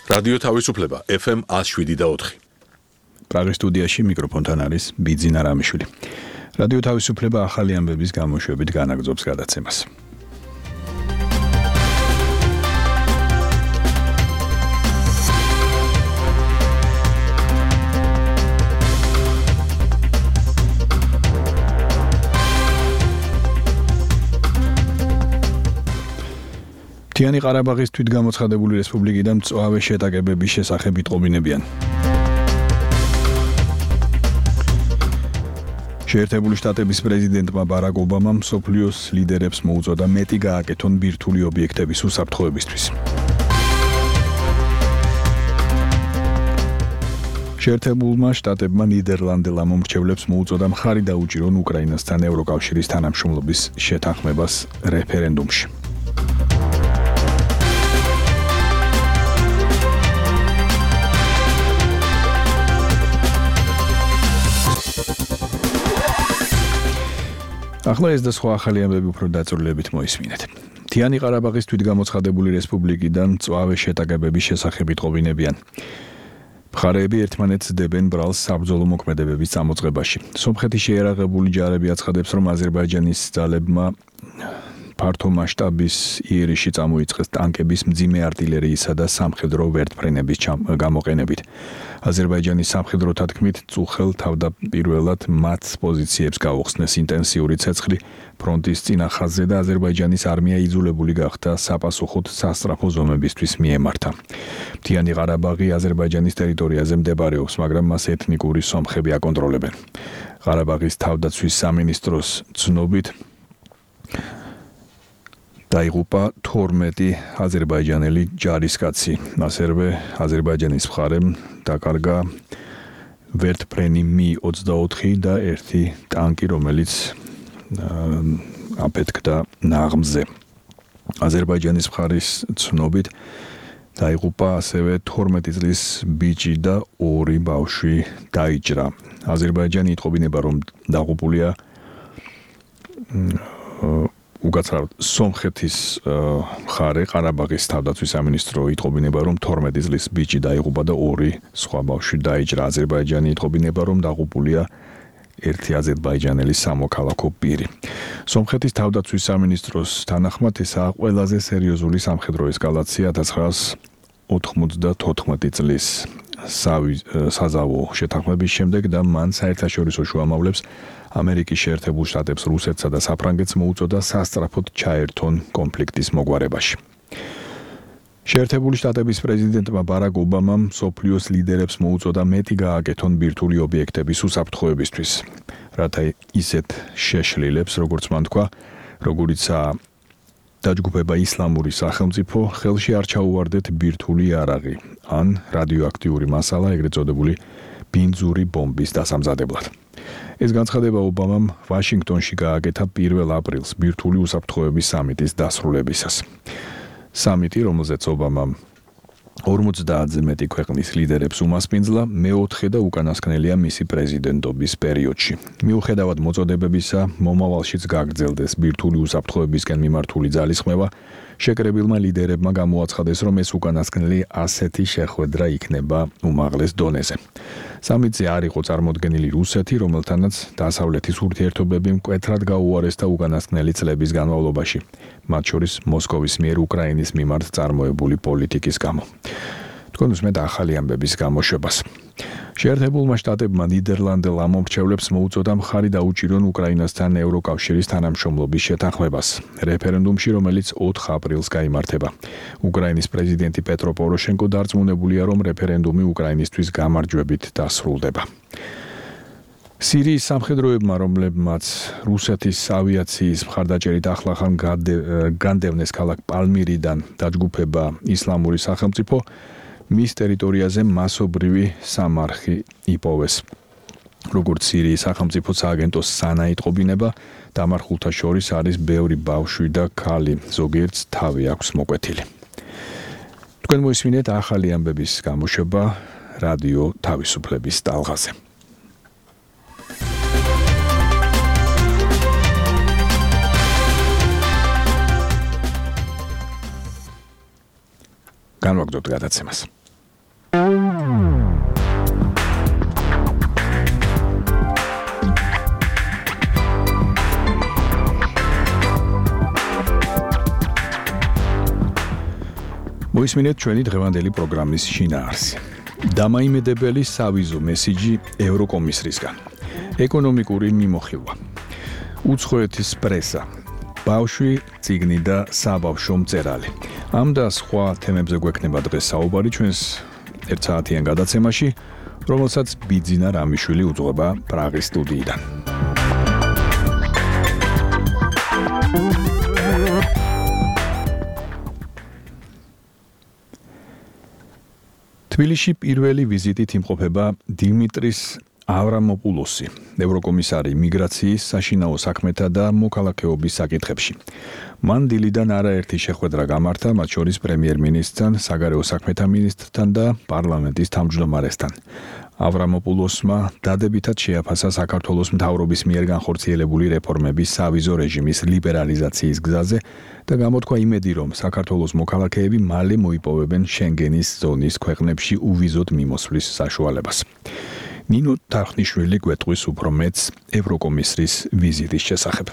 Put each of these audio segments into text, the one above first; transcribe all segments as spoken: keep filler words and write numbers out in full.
რადიო თავისუფლება ეფ ემ one oh seven და four. პრაღის სტუდიაში მიკროფონთან არის ბიძინა რამიშვილი. რადიო თავისუფლება ახალი ამბების გამოშვებით განაგრძობს გადაცემას. მთიანი ყარაბაღის თვითგამოცხადებული რესპუბლიკიდან მწვავე შეტაკებების შესახებ იტყობინებიან. შეერთებული შტატების პრეზიდენტმა ბარაკ ობამამ მსოფლიოს ლიდერებს მოუწოდა მეტი გააკეთონ ბირთვული ობიექტების უსაფრთხოებისთვის. შეერთებულმა შტატებმა ნიდერლანდელ მომრჩევლებს მოუწოდა მხარი დაუჭირონ უკრაინასთან ევროკავშირის თანამშრომლობის შეთანხმებას რეფერენდუმში. ახლა ეს და სხვა ახალი ამბები უფრო დაწვრილებით მოისმინეთ. მთიანი ყარაბაღის თვითგამოცხადებული რესპუბლიკიდან მწვავე შეტაკებების შესახებ იტყობინებიან. მხარეები ერთმანეთს დებენ ბრალს საბრძოლო მოქმედებების წამოწყებაში. სომხეთის შეიარაღებული ჯარები აცხადებს, რომ აზერბაიჯანის ძალებმა ფართო მასშტაბის იერიში წამოიწყეს ტანკების, მძიმე артиლერიისა და სამხედრო ვერტმფრენების გამოყენებით. აზერბაიჯანის სამხედროთა თქმით, წუხელ თავდაპირველად მათ პოზიციებს გაუხსნეს ინტენსიური ცეცხლი ფრონტის წინა ხაზზე და აზერბაიჯანის არმია იძულებული გახდა საპასუხოდ სასწრაფო ზომებისთვის მიემართა. მთიანი ყარაბაღი აზერბაიჯანის ტერიტორიაზე მდებარეობს, მაგრამ მას ეთნიკური სომხები აკონტროლებენ. ყარაბაღის თავდაცვის სამინისტროს ცნობით დაიღუპა თორმეტი აზერბაიჯანელი ჯარისკაცი. ასევე აზერბაიჯანის მხარემ დაკარგა ვერტმფრენი მი ოცდაოთხი და ერთი ტანკი, რომელიც აფეთქდა ნაღმზე. აზერბაიჯანის მხარის ცნობით დაიღუპა ასევე თორმეტი წლის ბიჭი და ორი ბავშვი დაიჭრა. აზერბაიჯანი იტყობინება, რომ დაღუპულია უკაცრავად სომხეთის მხარე. ყარაბაღის თავდაცვის სამინისტრო იტყობინება, რომ თორმეტი წლის ბიჭი დაიღუპა და ორი სხვა ბავშვი დაიჭრა. აზერბაიჯანი იტყობინება, რომ დაღუპულია ერთი აზერბაიჯანელი სამოქალაქო პირი. სომხეთის თავდაცვის სამინისტროს თანახმად ესაა ყველაზე სერიოზული სამხედრო ესკალაცია ათას ცხრაას ოთხმოცდათოთხმეტი წლის საზავო შეთანხმების შემდეგ და მან საერთაშორისო შუამავლებს ამერიკის შეერთებულ შტატებს, რუსეთსა და საფრანგეთს მოუწოდა სასწრაფოდ ჩაერთონ კონფლიქტის მოგვარებაში. შეერთებული შტატების პრეზიდენტმა ბარაკ ობამამ მსოფლიოს ლიდერებს მოუწოდა მეტი გააკეთონ ბირთვული ობიექტების უსაფრთხოებისთვის, რათა ისეთ შეშლილებს, როგორც მან თქვა, როგორიცაა დაჯგუფება ისლამური სახელმწიფო, ხელში არ ჩაუვარდეთ ბირთვული იარაღი ან რადიოაქტიური მასალა, ეგრეთ წოდებული ბინძური ბომბის დასამზადებლად. ეს განცხადება ობამამ ვაშინგტონში გააკეთა პირველ აპრილს ბირთვული უსაფრთხოების სამიტის დასრულებისას. სამიტი, რომელზეც ობამამ ორმოცდაათზე მეტი ქვეყნის ლიდერებს უმასპინძლა, მეოთხე და უკანასკნელია მისი პრეზიდენტობის პერიოდში. მიუხედავად მოწოდებებისა, მომავალშიც გაგრძელდეს ბირთვული უსაფრთხოებისკენ მიმართული ძალისხმევა, შეკრებილმა ლიდერებმა გამოაცხადეს, რომ ეს უკანასკნელი ასეთი შეხვედრა იქნება უმაღლეს დონეზე. სამიტზე არ იყო წარმოდგენილი რუსეთი, რომელთანაც დასავლეთის ურთიერთობები მკვეთრად გაუარესდა უკანასკნელი წლების განმავლობაში, მათ შორის მოსკოვის მიერ უკრაინის მიმართ წარმოებული პოლიტიკის გამო. თქვენ უსმენთ ახალი ამბების გამოშვებას. შეერთებულმა შტატებმა ნიდერლანდელ ამომრჩევლებს მოუწოდა მხარი დაუჭირონ უკრაინასთან ევროკავშირის თანამშრომლობის შეთანხმებას რეფერენდუმში, რომელიც ოთხ აპრილს გაიმართება. უკრაინის პრეზიდენტი პეტრო პოროშენკო დარწმუნებულია, რომ რეფერენდუმი უკრაინისთვის გამარჯვებით დასრულდება. სირიის სამხედროებმა, რომლებმაც რუსეთის ავიაციის მხარდაჭერით ახლახან განდევნეს ქალაქ პალმირიდან დაჯგუფება ისლამური სახელმწიფო, მის ტერიტორიაზე მასობრივი სამარხი იპოვეს. როგორც სირიის სახელმწიფო სააგენტოს სანა იტყობინება, დამარხულთა შორის არის ბევრი ბავშვი და ქალი, ზოგიერთს თავი აქვს მოკვეთილი. თქვენ მოისმინეთ ახალი ამბების გამოშვება რადიო თავისუფლების ტალღაზე. განვაგრძობთ გადაცემას. მოისმინეთ ჩვენი დღევანდელი პროგრამის შინაარსი. დამაიმედებელი სავიზო მესიჯი ევროკომისრისგან. ეკონომიკური მიმოხილვა. უცხოეთის პრესა. ბავშვი, წიგნი და საბავშვო მწერალი. ამ და სხვა თემებზე გვექნება დღეს საუბარი ჩვენს ერთსაათიან გადაცემაში, რომელსაც ბიძინა რამიშვილი უძღვება პრაღის სტუდიიდან. თბილისში პირველი ვიზიტით იმყოფება დიმიტრის ავრამოპულოსი, ევროკომისარი მიგრაციის, საშინაო საქმეთა და მოქალაქეობის საკითხებში. მან დილიდან არაერთი შეხვედრა გამართა, მათ შორის პრემიერ-მინისტრთან, საგარეო საქმეთა მინისტრთან და პარლამენტის თავმჯდომარესთან. ავრამოპულოსმა დადებითად შეაფასა საქართველოს მთავრობის მიერ განხორციელებული რეფორმების სავიზო რეჟიმის ლიბერალიზაციის გზაზე და გამოთქვა იმედი, რომ საქართველოს მოქალაქეები მალე მოიპოვებენ შენგენის ზონის ქვეყნებში უვიზოდ მიმოსვლის საშუალებას. ნინო თარხნიშვილი გვეტყვის უფრო მეტს ევროკომისრის ვიზიტის შესახებ.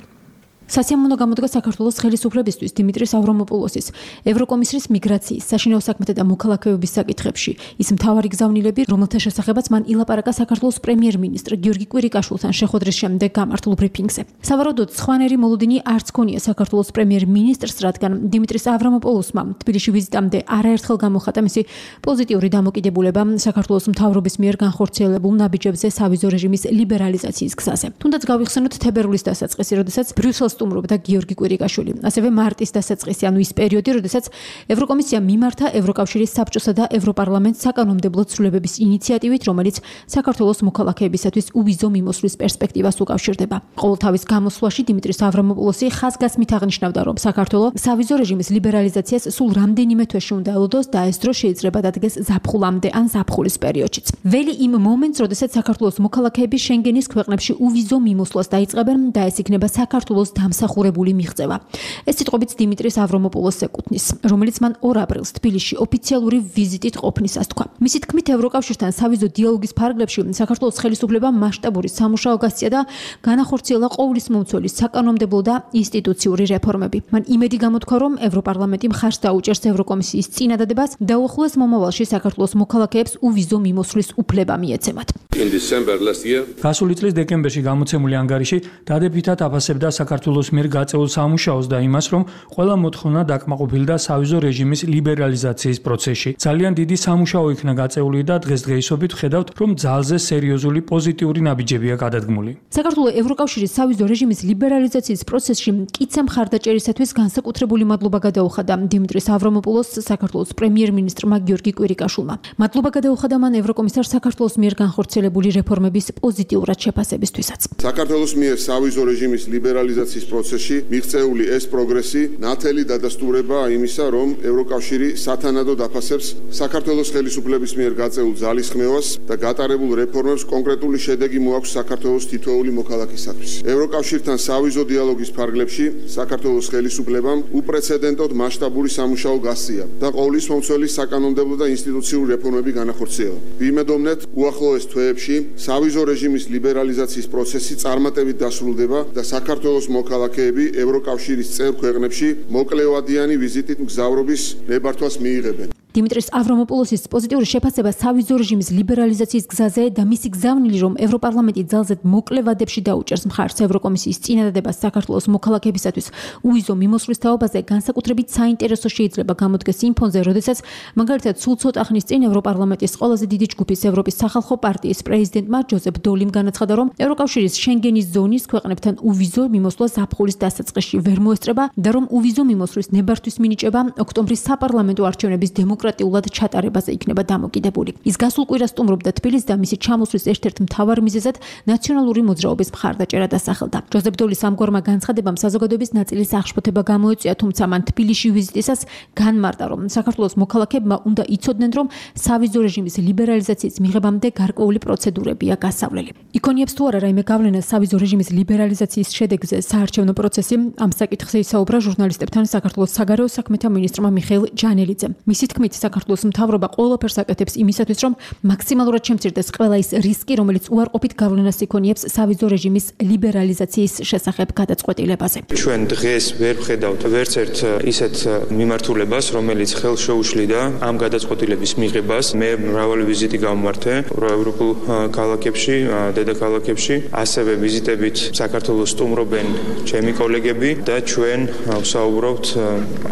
სასიამოვნო გამოდგა საქართველოს ხელისუფლებისთვის დიმიტრის ავრამოპულოსის ევროკომისრის მიგრაციის, საშინაო საქმეთა და მოქალაქეობის საკითხებში. ის მთავარი გზავნილები, რომელთა შესახებაც მან ილაპარაკა საქართველოს პრემიერ-მინისტრ გიორგი კვირიკაშვილთან შეხვედრის შემდეგ გამართულ ბრიფინგზე. სავარაუდოდ, სხვანაირი მოლოდინი არც ქონია საქართველოს პრემიერ-მინისტრს, რადგან დიმიტრის ავრამოპულოსმა თბილისში ვიზიტამდე არაერთხელ გამოხატა მისი პოზიტიური დამოკიდებულება საქართველოს მთავრობის მიერ განხორციელებულ ნაბიჯებზე სავიზო რეჟიმის ლიბერალიზაციის გზაზე. თუნდაც გავიხსენოთ თებერვლის დასაწყისი, როდესაც ბრიუსელს სტუმრობდა გიორგი კვირიკაშვილი. ასევე მარტის დასაწყისი, ანუ ის პერიოდი, როდესაც ევროკომისია მიმართა ევროკავშირის საბჭოსა და ევროპარლამენტს საკანონმდებლო ცვლილებების ინიციატივით, რომელიც საქართველოს მოქალაქეებისათვის უვიზო მიმოსვლის პერსპექტივას უკავშირდება. ყოველთავის გამოსვლაში დიმიტრის ავრამოპულოსი ხაზგასმით აღნიშნავდა, რომ საქართველო სავიზო რეჟიმის ლიბერალიზაციას სულ რამდენიმე თვეში უნდა ელოდოს და ეს დრო შეიძლება დადგეს ზაფხულამდე ან ზაფხულის პერიოდშიც. ველი იმ მომენტს, როდესაც საქართველოს მოქალაქეები შენგენის ქვეყნებში უვიზო მიმოსვლას დაიწყებენ და ეს იქნება საქართველოს დამსახურებული მიღწევა. ეს სიტყვებიც დიმიტრის ავრამოპულოსს ეკუთვნის, რომელიც მან ორ აპრილს თბილისში ოფიციალური ვიზიტით ყოფნისას თქვა. მისი თქმით, ევროკავშირთან სავიზო დიალოგის ფარგლებში საქართველოს ხელისუფლებამ მასშტაბური სამუშაო გასწია და განახორციელა ყოვლისმომცველი საკანონმდებლო და ინსტიტუციური რეფორმები. მან იმედი გამოთქვა, რომ ევროპარლამენტი მხარს დაუჭერს ევროკომისიის წინადადებას და უახლოეს მომავალში საქართველოს მოქალაქეებს უვიზო მიმოსვლის უფლება მიეცემათ. გასული წლის დეკემბერში გამოცემული ანგარიში დადებითად აფასებდა საქართველოს მიერ გაწეულ სამუშაოს და იმას, რომ ყველა მოთხოვნა დაკმაყოფილდა სავიზო რეჟიმის ლიბერალიზაციის პროცესში. ძალიან დიდი სამუშაო იქნა გაწეული და დღესდღეობით ვხედავთ, რომ ძალზე სერიოზული პოზიტიური ნაბიჯებია გადადგმული. საქართველოს ევროკავშირის სავიზო რეჟიმის ლიბერალიზაციის პროცესში მკიცე მხარდაჭერისათვის განსაკუთრებული მადლობა გადაუხადა დიმიტრის ავრამოპულოსს საქართველოს პრემიერ-მინისტრმა გიორგი კვირიკაშვილმა. მადლობა გადაუხადა მან ევროკომისარ საქართველოს მიერ განხორციელებული რეფორმების პოზიტიურად შეფასებისთვისაც. საქართველოს მიერ სავიზო რეჟიმის ლიბერალიზაციის პროცესში მიღწეული ეს პროგრესი ნათელი დადასტურება იმისა, რომ ევროკავშირი სათანადოდ აფასებს საქართველოს ხელისუფლების მიერ გაწეულ ძალისხმევას და გატარებულ რეფორმებს კონკრეტული შედეგი მოაქვს საქართველოს თითოეული მოქალაქისათვის. ევროკავშირთან სავიზო დიალოგის ფარგლებში საქართველოს ხელისუფლებამ უპრეცედენტოდ მასშტაბური სამუშაო გასწია და ყოვლისმომცველი საკანონმდებლო და ინსტიტუციური რეფორმები განახორციელა. ვიმედოვნეთ, უახლოეს თვეებში სავიზო რეჟიმის ლიბერალიზაციის პროცესი წარმატებით დასრულდება და საქართველოს მოქალაქეები ევროკავშირის წევრ ქვეყნებში მოკლევადიანი ვიზიტით მგზავრობის ნებართვას მიიღებენ. დიმიტრის ავრამოპულოსის პოზიტიური შეფასება სავიზო რეჟიმის ლიბერალიზაციის გზაზე და მისი გზავნილი, რომ ევროპარლამენტი ძალზედ მოკლე ვადებში დაუჭერს მხარს ევროკომისიის წინადადებას საქართველოს მოქალაქეებისათვის უვიზო მიმოსვლის თაობაზე, განსაკუთრებით საინტერესო შეიძლება გამოდგეს იმ ფონზე, როდესაც მაგალითად სულ ცოტა ხნის წინ ევროპარლამენტის ყველაზე დიდი ჯგუფის ევროპის სახალხო პარტიის პრეზიდენტმა ჯოზეფ დოლიმ განაცხადა, რომ ევროკავშირის შენგენის ზონის ქვეყნებთან უვიზო მიმოსვლა ზაფხულის დასაწყისში ვერ მოესწრება და რომ უვიზო მიმოსვლის ნებართვის მინიჭება ოქტომბრის საპარლამენტო არჩევნების დემოკრატიულად ჩატარებაზე იქნება დამოკიდებული. ის გასულ კვირას სტუმრობდა თბილისს და მისი ჩამოსვლის ერთ-ერთ მთავარ მიზეზად ნაციონალური მოძრაობის მხარდაჭერა დასახელდა. ჯოზეფ დოლის ამგვარმა განცხადებამ საზოგადოების ნაწილის აღშფოთება გამოეწვია, თუმცა მან თბილისში ვიზიტისას განმარტა, რომ საქართველოს მოქალაქეებმა უნდა იცოდნენ, რომ სავიზო რეჟიმის ლიბერალიზაციის მიღებამდე გარკვეული პროცედურებია გასავლელი. იქონიებს თუ არა რაიმე გავლენა სავიზო რეჟიმის ლიბერალიზაციის შედეგზე საარჩევნო პროცესი, ამ საკითხზე ისაუბრა ჟურნალისტებთან საქართველოს საგარეო საქმეთა მინისტრმა მიხეილ ჯანელიძემ. მისი თქმით, ამიტომაც საქართველოს მთავრობა ყველაფერს აკეთებს იმისათვის, რომ მაქსიმალურად შემცირდეს ყველა ის რისკი, რომელიც უარყოფით გავლენას იქონიებს სავიზო რეჟიმის ლიბერალიზაციის შესახებ გადაწყვეტილებაზე. ჩვენ დღეს ვერ ვხედავთ ვერც ერთ ისეთ მიმართულებას, რომელიც ხელს შეუშლიდა ამ გადაწყვეტილების მიღებას. მე მრავალი ვიზიტი გამმართე ევროპულ ქალაქებში, დედაქალაქებში, ასევე ვიზიტებით საქართველოს სტუმრობენ ჩემი კოლეგები და ჩვენ ვსაუბრობთ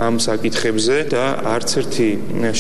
ამ საკითხებზე და არც ერთი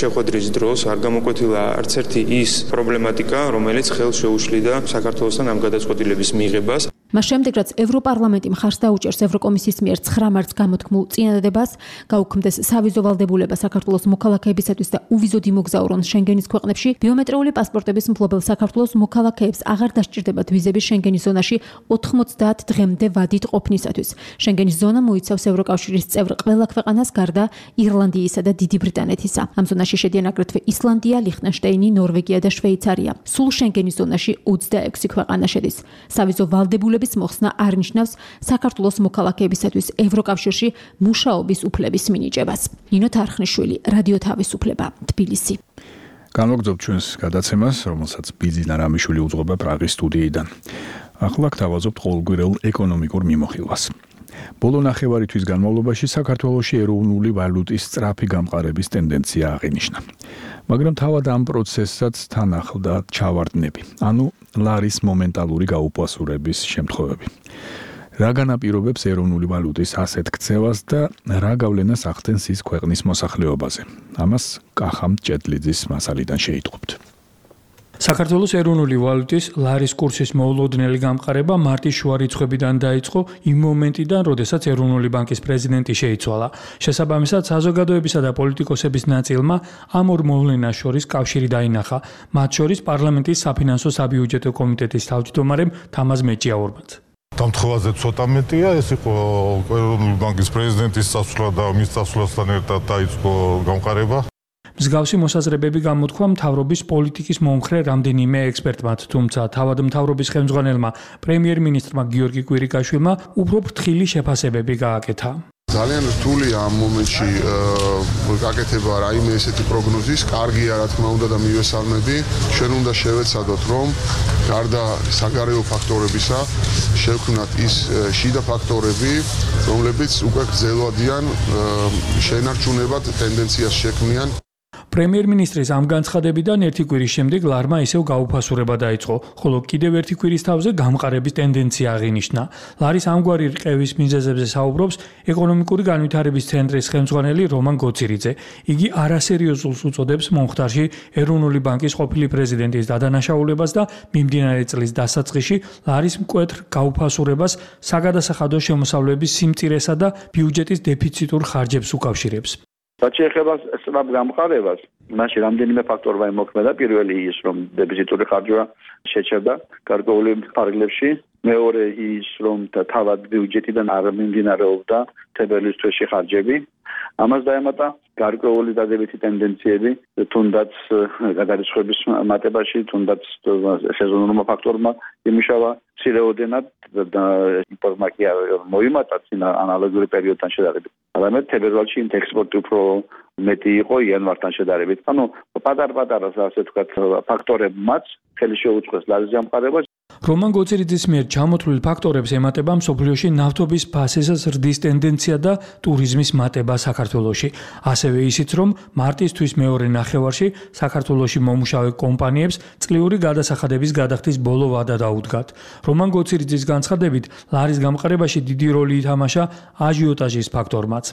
შეხვედრის დროს არ გამოკვეთილა არც ერთი ის პრობლემატიკა, რომელიც ხელს შეუშლიდა საქართველოსთან ამ გადაწყვეტილების მიღებას. მას შემდეგ, რაც ევროპარლამენტი მხარს დაუჭერს ევროკომისიის მიერ ცხრა მარტს გამოთქმულ წინადადებას, გაუქმდეს სავიზო ვალდებულება საქართველოს მოქალაქეებისათვის და უვიზოდ იმოგზაურონ შენგენის ქვეყნებში, ბიომეტრიული პასპორტების მფლობელ საქართველოს მოქალაქეებს აღარ დასჭირდებათ ვიზები შენგენის ზონაში ოთხმოცდაათ დღემდე ვადით ყოფნისათვის. შენგენის ზონა მოიცავს ევროკავშირის წევრ ყველა ქვეყანას გარდა ირლანდიისა და დიდი ბრიტანეთისა. ამ ზონაში შედიან აგრეთვე ისლანდია, ლიხტენშტეინი, ნორვეგია და შვეიცარია. სულ შენგენის ზონაში ოცდაექვსი ქვეყანა შედის. სავიზო ვალდებულება მოხსნა არ ნიშნავს საქართველოს მოქალაქეებისათვის ევროკავშირში მუშაობის უფლების მინიჭებას. ნინო თარხნიშვილი, რადიო თავისუფლება, თბილისი. განვაგრძობ ჩვენს გადაცემას, რომელსაც ბიძინა რამიშვილი უძღვება პრაღის სტუდიიდან. ახლა გთავაზობთ ყოველგვირეულ ეკონომიკურ მიმოხილვას. ბოლო ნახევარი თვის განმავლობაში საქართველოში ეროვნული ვალუტის სწრაფი გამყარების ტენდენცია აღინიშნა. მაგრამ თავად ამ პროცესსაც თან ახლდა ჩავარდნები, ანუ ლარის მომენტალური გაუპასურების შემთხვევები. რა განაპირობებს ეროვნული ვალუტის ასეთ ქცევას და რა გავლენას ახდენს ის ქვეყნის მოსახლეობაზე? ამას კახამ ჭედლიძის მასალიდან შეიტყობთ. საქართველოს ეროვნული ვალუტის ლარის კურსის მოულოდნელი გამყარება მარტის შუა რიცხვებიდან დაიწყო იმ მომენტიდან, როდესაც ეროვნული ბანკის პრეზიდენტი შეიცვალა. შესაბამისად, საზოგადოებისა და პოლიტიკოსების ნაწილმა ამ ორ მოვლენას შორის კავშირი დაინახა, მათ შორის პარლამენტის საფინანსო საბიუჯეტო კომიტეტის თავმჯდომარემ თამაზ მეჭიაურმაც. დამთხოვაზე ცოტა მეტია, ეს იყო ეროვნული ბანკის პრეზიდენტის წასვლა და მის წასვლასთან ერთად დაიწყო გამყარება. მსგავსი მოსაზრებები გამოთქვა მთავრობის პოლიტიკის მომხრე რამდენიმე ექსპერტმა, თუმცა თავად მთავრობის ხელმძღვანელმა პრემიერ-მინისტრმა გიორგი კვირიკაშვილმა უფრო ფრთხილი შეფასებები გააკეთა. ძალიან რთულია ამ მომენტში გაკეთება რაიმე ესეთი პროგნოზის, კარგია რა თქმა უნდა და მივესალმები. ჩვენ უნდა შევეცადოთ, რომ გარდა საგარეო ფაქტორებისა, შევქმნათ ის შიდა ფაქტორები, რომლებიც უკვე გრძელვადიან შენარჩუნებად ტენდენციას შექმნიან. პრემიერ-მინისტრის ამ განცხადებიდან ერთი კვირის შემდეგ ლარმა ისევ გაუფასურება დაიწყო, ხოლო კიდევ ერთი კვირის თავზე გამყარების ტენდენცია აღინიშნა. ლარის ამგვარი რყევის მიზეზებზე საუბრობს ეკონომიკური განვითარების ცენტრის ხელმძღვანელი რომან გოცირიძე. იგი არასერიოზულს უწოდებს მომხდარში ეროვნული ბანკის ყოფილი პრეზიდენტის დადანაშაულებას და მიმდინარე წლის დასაწყისში ლარის მკვეთრ გაუფასურებას საგადასახადო შემოსავლების სიმწირესა და ბიუჯეტის დეფიციტურ ხარჯებს უკავშირებს. რაც შეეხება სწრაფ გამყარებას, მაშინ რამდენიმე ფაქტორმა იმოქმედა. პირველი ის, რომ დეფიციტური ხარჯვა შეჩერდა გარკვეული ფარგლებში. მეორე ის, რომ თავად ბიუჯეტიდან არ მიმდინარეობდა თებერვლის თვეში ხარჯები. ამას დაემატა გარკვეული დადებითი ტენდენციები, თუნდაც გადარიცხვების მატებაში, თუნდაც სეზონურმა ფაქტორმა იმუშავა ცირეოდენად და იმპორტმაკი არ მოიმატა წინა ანალოგიური პერიოდთან შედარებით. არამედ თებერვალში ექსპორტი უფრო მეტი იყო იანვართან შედარებით. ანუ პატარ-პატარა ასე ვთქვათ ფაქტორებმაც ხელი შეუწყეს ლარის გამყარებას. რომან გოცირიძის მიერ ჩამოთვლილ ფაქტორებს ემატება მსოფლიოში ნავთობის ფასის ზრდის ტენდენცია და ტურიზმის მატება საქართველოში. ასევე ისიც, რომ მარტისთვის მეორე ნახევარში საქართველოში მომუშავე კომპანიებს წლიური გადასახადების გადახდის ბოლო ვადა დაუდგათ. რომან გოცირიძის განცხადებით, ლარის გამყარებაში დიდი როლი ითამაშა აჟიოტაჟის ფაქორმაც.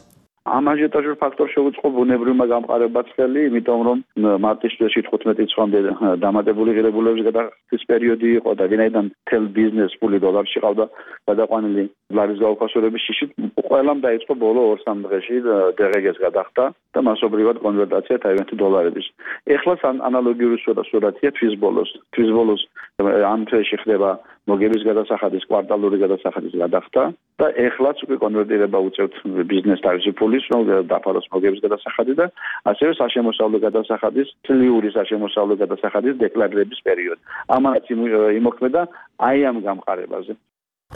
ამ აჟიოტაჟურ ფაქტორს შეუწყო ბუნებრივმა გამყარებაც ხელი, იმიტომ რომ მარტის თვეში თხუთმეტი წლამდე დამატებული ღირებულების გადახდის პერიოდი იყო და ვინაიდან თელ ბიზნეს ფული დოლარში ყავდა გადაყვანილი ლარის გაუფასურების შიშით, ყველამ დაიწყო ბოლო ორ-სამ დღეში დღგ-ს გადახდა და მასობრივად კონვერტაცია თავიანთი დოლარების. ეხლაც ანალოგიური სურათია თვის ბოლოს. თვის ბოლოს ამ თვეში ხდება მოგების გადასახადის კვარტალური გადასახადის გადახდა და ეხლაც უკვე კონვერტირება უწევთ ბიზნეს თავისი ფულის, რომ დაფაროს მოგების გადასახადი და ასევე საშემოსავლო გადასახადის, წლიური საშემოსავლო გადასახადის დეკლარირების პერიოდი. ამანაც იმოქმედა აი ამ გამყარებაზე.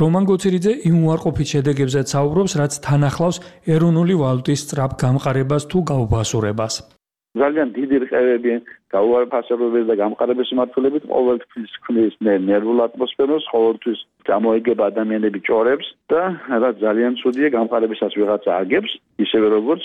რომან გოცირიძე იმ უარყოფით შედეგებზეც საუბრობს, რაც თან ახლავს ეროვნული ვალუტის სწრაფ გამყარებას თუ გაუფასურებას. ძალიან დიდი რყევები, გაუარესებულების და გამყარების მიმართულებით ყოველთვის ქმნის ნერვულ ატმოსფეროს, ყოველთვის გამოიგება ადამიანები ჭორებს და რაც ძალიან ცუდია, გამყარებისას ვიღაცა აგებს, ისევე როგორც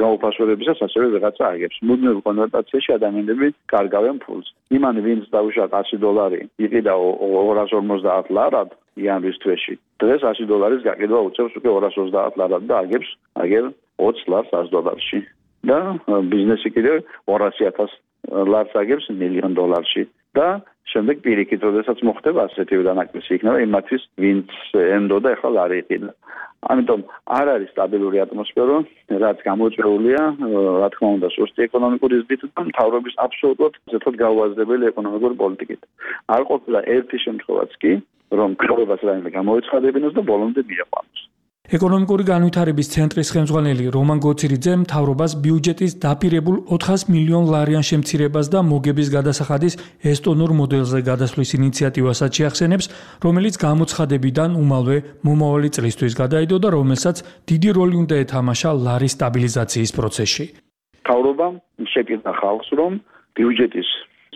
გაუფასურებისას ასევე ვიღაცა აგებს. მუდმივ კონვერტაციაში ადამიანები კარგავენ ფულს. იმან ვინც დაუშვა ასი დოლარი, იყიდა ორას ორმოცდაათ ლარად იანვრის თვეში. დღეს ასი დოლარის გაკიდვა უწევს უკვე ორას ოცდაათ ლარად და აგებს აგერ ოცი ლარს ას დოლარში. და ბიზნესი კიდევ ორასი ათას ლარს აგებს მილიონ დოლარში და შემდეგ პირიქით, როდესაც მოხდება ასეთივე დანაკლისი იქნება იმათთვის, ვინც ენდოდა ახლა ლარი იყიდა. ამიტომ არ არის სტაბილური ატმოსფერო, რაც გამოწვეულია, რა თქმა უნდა, სუსტი ეკონომიკური ზრდით და მთავრობის აბსოლუტურად ზეთოთ გაუაზრებელი ეკონომიკური პოლიტიკით. არ ყოფილა ერთი შემთხვევაც კი, რომ ქრობას რაიმე გამოეცხადებინოს და ბოლომდე მიეყვანოს. ეკონომიკური განვითარების ცენტრის ხელმძღვანელი რომან გოცირიძე მთავრობას ბიუჯეტის დაპირებულ ოთხას მილიონ ლარიან შემცირებას და მოგების გადასახადის ესტონურ მოდელზე გადასვლის ინიციატივასაც შეახსენებს, რომელიც გამოცხადებიდან უმალვე მომავალი წლისთვის გადაიდო და რომელსაც დიდი როლი უნდა ეთამაშა ლარის სტაბილიზაციის პროცესში. მთავრობამ შეკითხა ხალხს, რომ ბიუჯეტის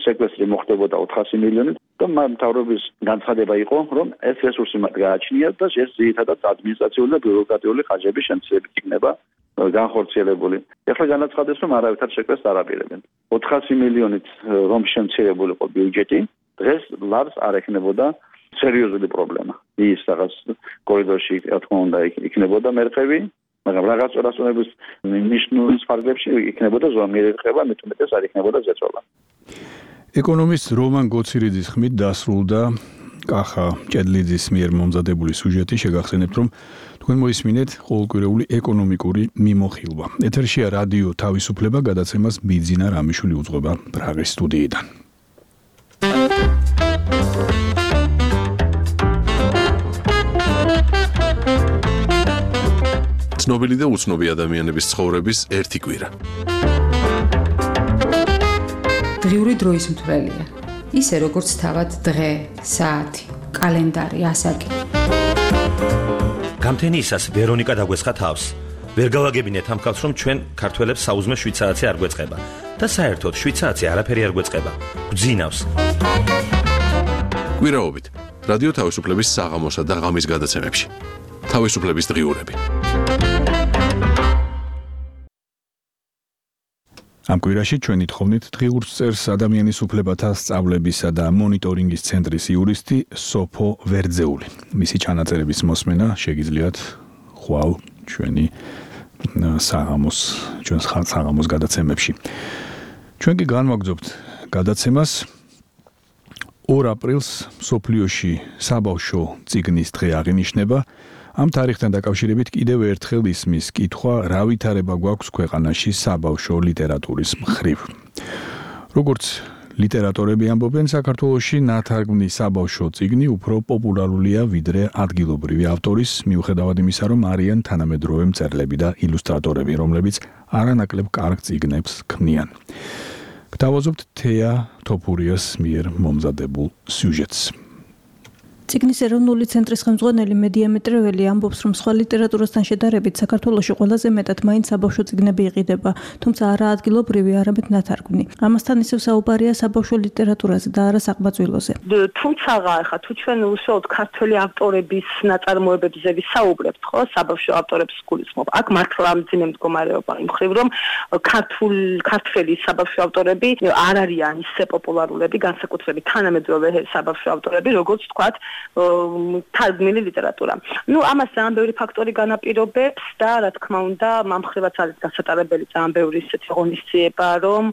სეკვესტრი მოხდებოდა ოთხასი მილიონი და მთავრობის განცხადება იყო, რომ ეს რესურსი მათ გააჩნიათ და ეს ძირითადად ადმინისტრაციული და ბიუროკრატიული ხარჯების შემცირებით იქნება განხორციელებული. ეხლა განაცხადეს, რომ არავითარ შეკვეთს არ აპირებენ. ოთხასი მილიონით რომ შემცირებული იყო ბიუჯეტი, დღეს ლარს არ ექნებოდა სერიოზული პრობლემა. ის რაღაც კორიდორში, რა თქმა უნდა, იქნებოდა მერყევი, მაგრამ რაღაც რასონების ნიშნულის ფარგლებში იქნებოდა ზომიერი რყევა, მით უმეტეს არ იქნებოდა ზეწოლა. ეკონომისტ რომან გოცირიძის ხმით დასრულდა კახა ჭედლიძის მიერ მომზადებული სიუჟეტი. შეგახსენებთ, რომ თქვენ მოისმინეთ ყოველკვირეული ეკონომიკური მიმოხილვა. ეთერშია რადიო თავისუფლება, გადაცემას ბიძინა რამიშვილი უძღვება პრაღის სტუდიიდან. ცნობილი და უცნობი ადამიანების ცხოვრების ერთი კვირა. დღიური დროის მთვრელია. ისე როგორც თავად დღე, საათი, კალენდარი, ასაკი. გამთენიისას ვერონიკა დაგვესხა თავს. ვერ გავაგებინეთ ამ ხალხს, რომ ჩვენ ქართველებს საუზმე შვიდ საათი არ გვეწყება და საერთოდ შვიდ საათი არაფერი არ გვეწყება. გვძინავს. კვირაობით რადიო თავისუფლების საღამოსა და ღამის გადაცემებში. თავისუფლების დღიურები. ამ კვირაში ჩვენი თხოვნით დღიურს წერს ადამიანის უფლებათა სწავლებისა და მონიტორინგის ცენტრის იურისტი სოფო ვერძეული. მისი ჩანაწერების მოსმენა შეგიძლიათ ხვალ ჩვენი საღამოს ჩვენს საღამოს გადაცემებში. ჩვენ კი განვაგრძობთ გადაცემას. ორ აპრილს მსოფლიოში საბავშვო წიგნის დღე აღინიშნება. ამ თარიღთან დაკავშირებით კიდევ ერთხელ ისმის კითხვა, რა ვითარება გვაქვს ქვეყანაში საბავშვო ლიტერატურის მხრივ. როგორც ლიტერატორები ამბობენ, საქართველოში ნათარგმნი საბავშვო წიგნი უფრო პოპულარულია ვიდრე ადგილობრივი ავტორის, მიუხედავად იმისა, რომ არიან თანამედროვე მწერლები და ილუსტრატორები, რომლებიც არანაკლებ კარგ წიგნებს ქმნიან. გთავაზობთ თეა თოფურიას მიერ მომზადებულ სიუჟეტს. წიგნის ეროვნული ცენტრის ხელმძღვანელი მედიამეტრეველი ამბობს, რომ სხვა ლიტერატურასთან შედარებით საქართველოში ყველაზე მეტად მაინც საბავშვო წიგნები იყიდება, თუმცა არა ადგილობრივი, არამედ ნათარგმნი. ამასთან ისევ საუბარია საბავშვო ლიტერატურაზე და არა საყმაწვილოზე. თუმცა ახლა თუ ჩვენ უშუალოდ ქართველი ავტორების ნაწარმოებებზე ვისაუბრებთ, ხო, საბავშვო ავტორებს გულისხმობ. აქ მართლა მძიმე მდგომარეობა იმ მხრივ, რომ ქართულ ქართველი საბავშვო ავტორები არ არიან ისე პოპულარულები, განსაკუთრებით თანამედროვე საბავშვო ავტორები, როგორც თქვათ თარგმნილი ლიტერატურა. ნუ ამას ძალიან ბევრი ფაქტორი განაპირობებს და რა თქმა უნდა, მამხრივაც არის გასატარებელი ძალიან ბევრი ისეთი ღონისძიება, რომ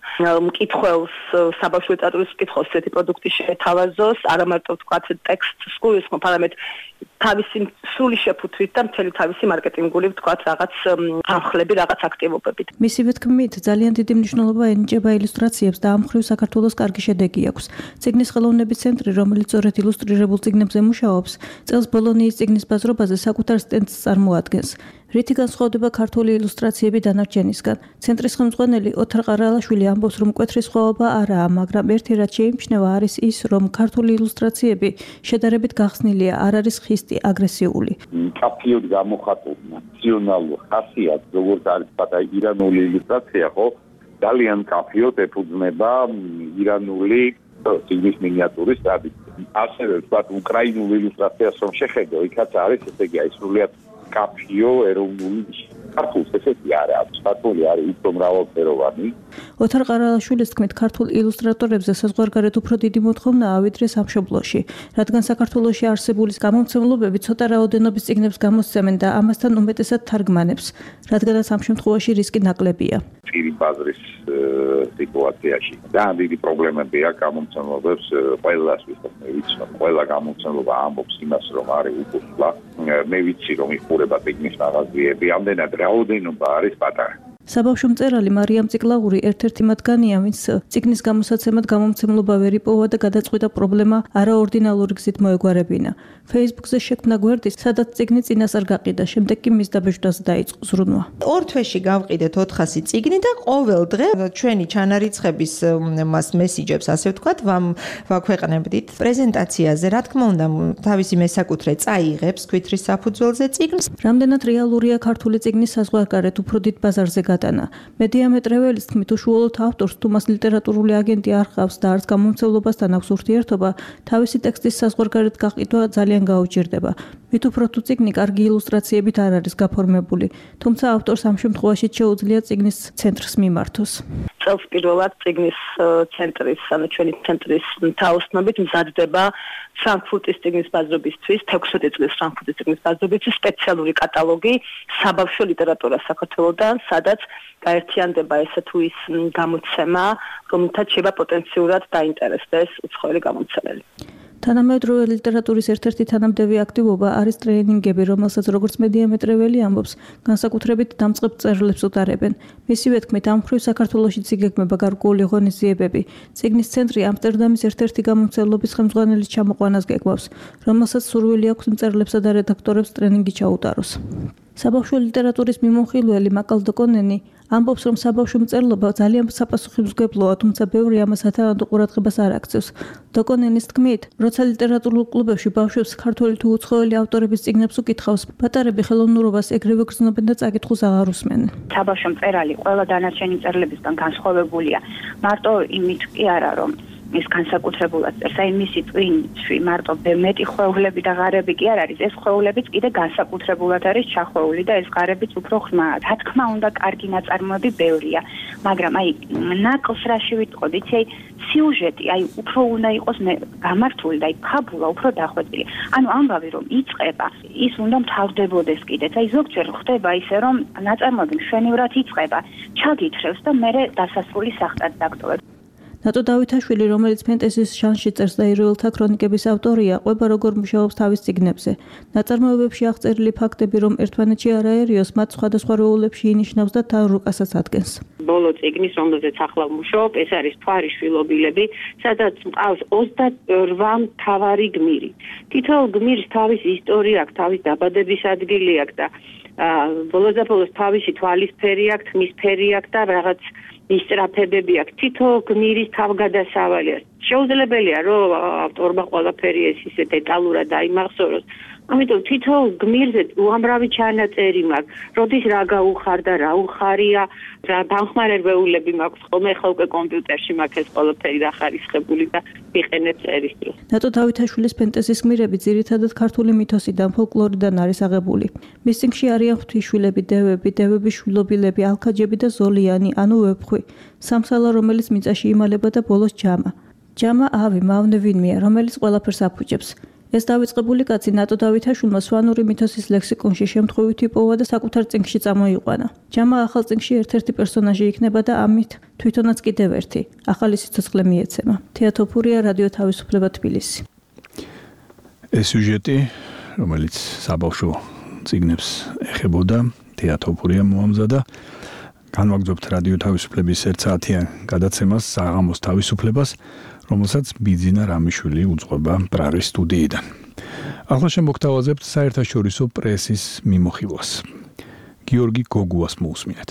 მკითხველს საბავშვო ლიტერატურის მკითხველს ესეთი პროდუქტი შეეთავაზოს, არა მარტო თქვათ ტექსტს გულისხმობ, არამედ თავისი სრული შეფუთვით და მთელი თავისი მარკეტინგული თქვათ რაღაც ამხლები, რაღაც აქტივობებით. მისივე თქმით, ძალიან დიდი მნიშვნელობა ენიჭება ილუსტრაციებს და ამ მხრივ საქართველოს კარგი შედეგი აქვს. წიგნის ხელოვნების ცენტრი, რომელიც სწორედ ილუსტრირებულ წიგნებზე მუშაობს, წელს ბოლონიის წიგნის ბაზრობაზე საკუთარ სტენდს წარმოადგენს. რითი განსხვავდება ქართული ილუსტრაციები დანარჩენისგან? ცენტრის ხელმძღვანელი ოთარ ყარალაშვილი ამბობს, რომ მკვეთრი სხვაობა არაა, მაგრამ ერთი რაც შეიმჩნევა არის ის, რომ ქართული ილუსტრაციები შედარებით გახსნილია, არ არის ხისტი, აგრესიული. მკაფიოდ გამოხატული ნაციონალური ხასიათი, როგორც არის პატარა ირანული ილუსტრაცია, ხო? ძალიან კაფიოდ ეფუძნება ირანული ციგნის მინიატურის ტრადიციას. ასევე ვთქვათ, უკრაინულ ილუსტრაციას რომ შეხედო, იქაც არის, ესე იგი, აი სრულიად კაფიო ეროვნული ნიშანი. ქართულს ესეთი არა აქვს, ქართული არის უფრო მრავალფეროვანი. ოთარ ყარალაშვილის თქმით, ქართულ ილუსტრატორებზე საზღვარგარეთ უფრო დიდი მოთხოვნაა ვიდრე სამშობლოში, რადგან საქართველოში არსებული გამომცემლობები ცოტა რაოდენობის წიგნებს გამოსცემენ და ამასთან უმეტესად თარგმანებს, რადგანაც ამ შემთხვევაში რისკი ნაკლებია. პირი ბაზრის სიტუაციაში ძალიან დიდი პრობლემები აქვს გამომცემლობებს ყველას ვისაც მე ვიცნობ, ყველა გამომცემლობა ამბობს იმას, რომ არის უკუსლა. მე ვიცი, რომ იხურება წიგნის მაღაზიები, ამდენად რაოდენობა არის პატარა. საბავშვო მწერალი მარიამ ციკლაური ერთ-ერთი მათგანია, ვინც წიგნის გამოსაცემად გამომცემლობა ვერ იპოვა და გადაწყვიტა პრობლემა არაორდინალური გზით მოეგვარებინა. Facebook-ზე შექმნა გვერდი, სადაც წიგნი წინასწარ გაყიდა, შემდეგ კი მის დაბეჭდვაზე დაიწყო ზრუნვა. ორ თვეში გავყიდეთ ოთხასი წიგნი და ყოველ დღე ჩვენი ჩანარიცხების მას მესიჯებს, ასე ვთქვათ, ვაქვეყნებდით პრეზენტაციაზე, რა თქმა უნდა, თავისი მესაკუთრე წაიღებს ქვითრის საფუძველზე წიგნს. რამდენად რეალურია ქართული წიგნის საზღვარგარეთ უფრო დიდ ბაზარზე გადანა. მედიამეტრეველის თქმით, უშუალოდ ავტორს თუ მას ლიტერატურული აგენტი არ ჰყავს და არც გამომცემლობასთან აქვს ურთიერთობა, თავისი ტექსტის საზღვარგარეთ გაყიდვა ძალიან გაუჭირდება. მით უფრო თუ წიგნი კარგი ილუსტრაციებით არ არის გაფორმებული, თუმცა ავტორს ამ შემთხვევაში შეუძლია წიგნის ცენტრს მიმართოს. წელს პირველად წიგნის ცენტრის, ანუ ჩვენი ცენტრის თაოსნობით მზადდება ფრანკფურტის წიგნის ბაზრობისთვის, თექვსმეტი წლის ფრანკფურტის წიგნის ბაზრობისთვის სპეციალური კატალოგი საბავშვო ლიტერატურას საქართველოდან, სადაც გაერთიანდება ესე თუ ის გამოცემა, რომელთაც შეიძლება პოტენციურად დაინტერესდეს უცხოელი გამომცემელი. თანამედროვე ლიტერატურის ერთ-ერთი თანამდები აქტივობა არის ტრეინინგები, რომელსაც როგორც მედიამეტრეველი ამბობს, განსაკუთრებით დამწყებ მწერლებს უტარებენ. მისივე თქმით, ამ მხრივ საქართველოშიც იგეგმება გარკვეული ღონისძიებები. წიგნის ცენტრი ამსტერდამის ერთ-ერთი გამომცემლობის ხელმძღვანელის ჩამოყვანას გეგმავს, რომელსაც სურვილი აქვს მწერლებსა და რედაქტორებს ტრეინინგი ჩაუტაროს. საბავშვო ლიტერატურის მიმოხილველი მაკალ დოკონენი ამბობს, რომ საბავშვო მწერლობა ძალიან საპასუხისმგებლოა, თუმცა ბევრი ამას ათანადო ყურადღებას არ აქცევს. დოკონენის თქმით, როცა ლიტერატურულ კლუბებში ბავშვებს ქართველი თუ უცხოელი ავტორების წიგნებს უკითხავს, პატარები ხელოვნურობას ეგრევე გრძნობენ და წაკითხულს აღარ უსმენენ. საბავშვო მწერალი ყველა დანარჩენი მწერლებისგან განსხვავებულია. მარტო იმით კი არა, რომ ის განსაკუთრებულად წერს, აი მისი ტვინში მარტო მეტი ხვეულები და ღარები კი არ არის, ეს ხვეულებიც კიდე განსაკუთრებულად არის ჩახვეული და ეს ღარებიც უფრო ხმაა. რა თქმა უნდა, კარგი ნაწარმოები ბევრია, მაგრამ აი ნაკლს რაში ვიტყოდი, იცი აი სიუჟეტი, აი უფრო უნდა იყოს გამართული და აი ფაბულა უფრო დახვეწილი. ანუ ამბავი რომ იწყება, ის უნდა მთავრდებოდეს კიდეც. აი ზოგჯერ ხდება ისე, რომ ნაწარმოები მშვენივრად იწყება, ჩაგითხრევს და მერე დასასრული სახტად დაგტოვებს. ნატო დავითაშვილი, რომელიც ფენტეზის ჟანრში წერს და იროელთა ქრონიკების ავტორია, ყვება როგორ მუშაობს თავის წიგნებზე. ნაწარმოებებში აღწერილი ფაქტები, რომ ერთმანეთში არაერიოს, მათ სხვადასხვა როლებში ინიშნავს და თან რუკასაც ადგენს. ბოლო წიგნის, რომელზეც ახლა ვმუშაობ, ეს არის მთვარის შვილობილები, სადაც მყავს ოცდაორ მთავარი გმირი. თითოეულ გმირს თავისი ისტორია აქვს, თავის დაბადების ადგილი აქვს და ბოლოს და ბოლოს თავისი თვალისფერი აქვს, თმისფერი აქვს და რაღაც ისტრაფებები აქვს. თითო გმირის თავგადასავალი არის. შეუძლებელია, რომ ავტორმა ყველაფერი ეს ისე დეტალურად დაიმახსოვროს. ამიტომ თითო გმირზე უამრავი ჩანაწერი მაქვს. როდის რა გაუხარდა, რა უხარია, რა დამხმარებელები მაქვს. ხოლმე ხო უკვე კომპიუტერში მაქვს ეს ყველაფერი დახარისხებული და ვიყენებ წერის დროს. ნატო დავითაშვილის ფენტეზის გმირები ძირითადად ქართული მითოსიდან, ფოლკლორიდან არის აღებული. მის წიგნში არიან ღვთისმშვილები, დევები, დევების შვილობილები, ალქაჯები და ზოლიანი, ანუ ვეფხვი. სამსალა, რომელიც მიწაში იმალება და ბოლოს ჯამა. ჯამა ავი, მავნე ვინმეა, რომელიც ყველაფერს აფუჭებს. ეს დავიწყებული კაცი ნატო დავითაშვილმა სვანური მითოსის ლექსიკონში შემთხვევით იპოვა და საკუთარ წიგნში წამოიყვანა. ჯამა ახალ წიგნში ერთ-ერთი პერსონაჟი იქნება და ამით თვითონაც კიდევ ერთი ახალი სიცოცხლე მიეცემა. თეატოფურია, რადიო თავისუფლება, თბილისი. ეს სიუჟეტი, რომელიც საბავშვო წიგნებს ეხებოდა, თეატოფურია მოამზადა. განვაგრძობთ რადიო თავისუფლების ერთ საათიან გადაცემას საღამოს თავისუფლებას, რომელსაც ბიძინა რამიშვილი უძღვება პრაღის სტუდიიდან. ახლა შემოგთავაზებთ საერთაშორისო პრესის მიმოხილვას. გიორგი გოგუას მოусმინეთ.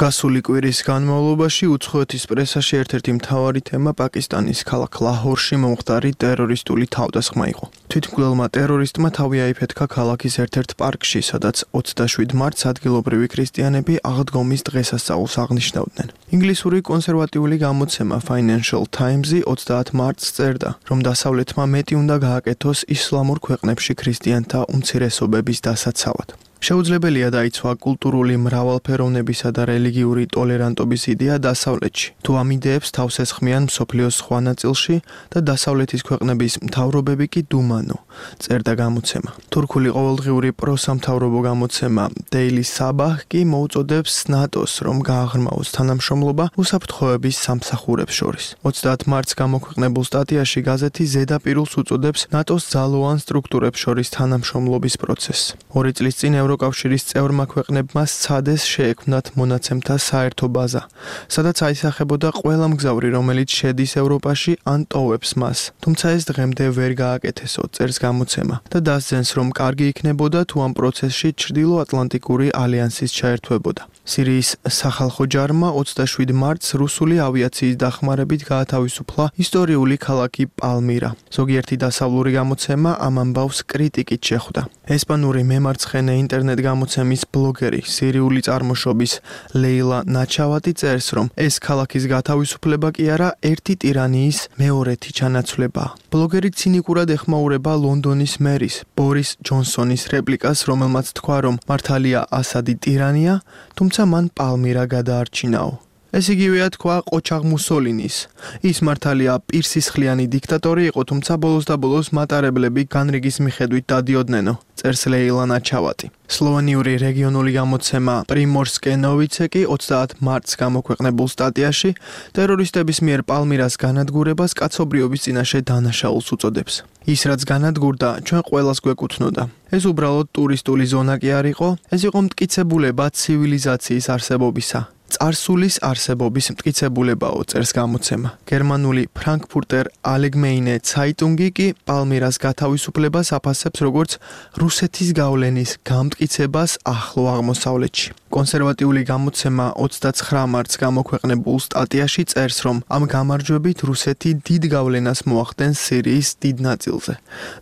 გასული კვირის განმავლობაში უცხოეთის პრესაში ერთ-ერთი მთავარი თემა პაკისტანის ქალაქ ლაჰორში მომხდარი ტერორისტული თავდასხმა იყო. თვითმკვლელმა ტერორისტმა თავი აიფეთქა ქალაქის ერთ-ერთ პარკში, სადაც ოცდაშვიდ მარტს ადგილობრივი ქრისტიანები აღდგომის დღესასწაულს აღნიშნავდნენ. ინგლისური კონსერვატიული გამოცემა Financial Times-ი ოცდაათ მარტს წერდა, რომ დასავლეთმა მეტი უნდა გააკეთოს ისლამურ ქვეყნებში ქრისტიანთა უმცირესობების დასაცავად. შეუძლებელია დაიცვა კულტურული მრავალფეროვნებისა და რელიგიური ტოლერანტობის იდეა დასავლეთში. თუ ამ იდეებს თავს ესხმიან მსოფლიოს სხვა ნაწილში და დასავლეთის ქვეყნების მთავრობები კი დუმანო, წერდა გამოცემა. თურქული ყოველდღიური პროსამთავრობო გამოცემა Daily Sabah კი მოუწოდებს ნატოს, რომ გააღრმაოს თანამშრომლობა უსაფრთხოების სამსახურებს შორის. ოცდაათ მარტს გამოქვეყნებულ სტატიაში გაზეთი ზედაპირულს უწოდებს ნატოს ძალოვან სტრუქტურებს შორის თანამშრომლობის პროცესს. ორი წლის წინ ევროკავშირის წევრმა ქვეყნებმა სცადეს შეექმნათ მონაცემთა საერთო ბაზა, სადაც აისახებოდა ყველა მგზავრი, რომელიც შედის ევროპაში ან ტოვებს მას. თუმცა ეს დღემდე ვერ გააკეთესო, წერს გამოცემა და დასძენს, რომ კარგი იქნებოდა თუ ამ პროცესში ჩრდილოატლანტიკური ალიანსის ჩაერთვებოდა. სირიის სახალხო ჯარმა ოცდაშვიდ მარტს რუსული ავიაციის დახმარებით გაათავისუფლა ისტორიული ქალაქი პალმირა. ზოგიერთი დასავლური გამოცემა ამ ამბავს კრიტიკით შეხვდა. ესპანური მემარცხენე ინტერნეტ გამოცემის ბლოგერი, სირიული წარმოშობის ლეილა ნაჩავატი წერს, რომ ეს ქალაქის გათავისუფლება კი არა, ერთი ტირანიის მეორეთი ჩანაცვლებაა. ბლოგერი ცინიკურად ეხმაურება ლონდონის მერის, ბორის ჯონსონის რეპლიკას, რომელმაც თქვა, რომ მართალია ასადი ტირანია, თუმცა მან პალმირა გადაარჩინაო. ეს იგივეა თქვა ყოჩაღ მუსოლინის. ის მართალია პირსისხლიანი დიქტატორი იყო, თუმცა ბოლოს და ბოლოს მატარებლები განრიგის მიხედვით დადიოდნენ, წერს ლეილა ნაჩავატი. სლოვენიური რეგიონული გამოცემა პრიმორსკე ნოვიცე კი ოცდაათ მარტს გამოქვეყნებულ სტატიაში ტერორისტების მიერ პალმირას განადგურებას კაცობრიობის წინაშე დანაშაულს უწოდებს. ის რაც განადგურდა, ჩვენ ყველას გვეკუთვნოდა. ეს უბრალოდ ტურისტული ზონა კი არ იყო, ეს იყო მტკიცებულება ცივილიზაციის არსებობისა. წარსულის არსებობის მტკიცებულებაო, წერს გამოცემა. გერმანული ფრანკფურტერ ალეგმეინე ცაიტუნგი კი პალმირას გათავისუფლებას აფასებს როგორც რუსეთის გავლენის გამტკიცებას ახლო აღმოსავლეთში. კონსერვატიული გამოცემა ოცდაცხრა მარტს გამოქვეყნებულ სტატიაში წერს, რომ ამ გამარჯვებით რუსეთი დიდ გავლენას მოახდენს სირიის დიდ ნაწილზე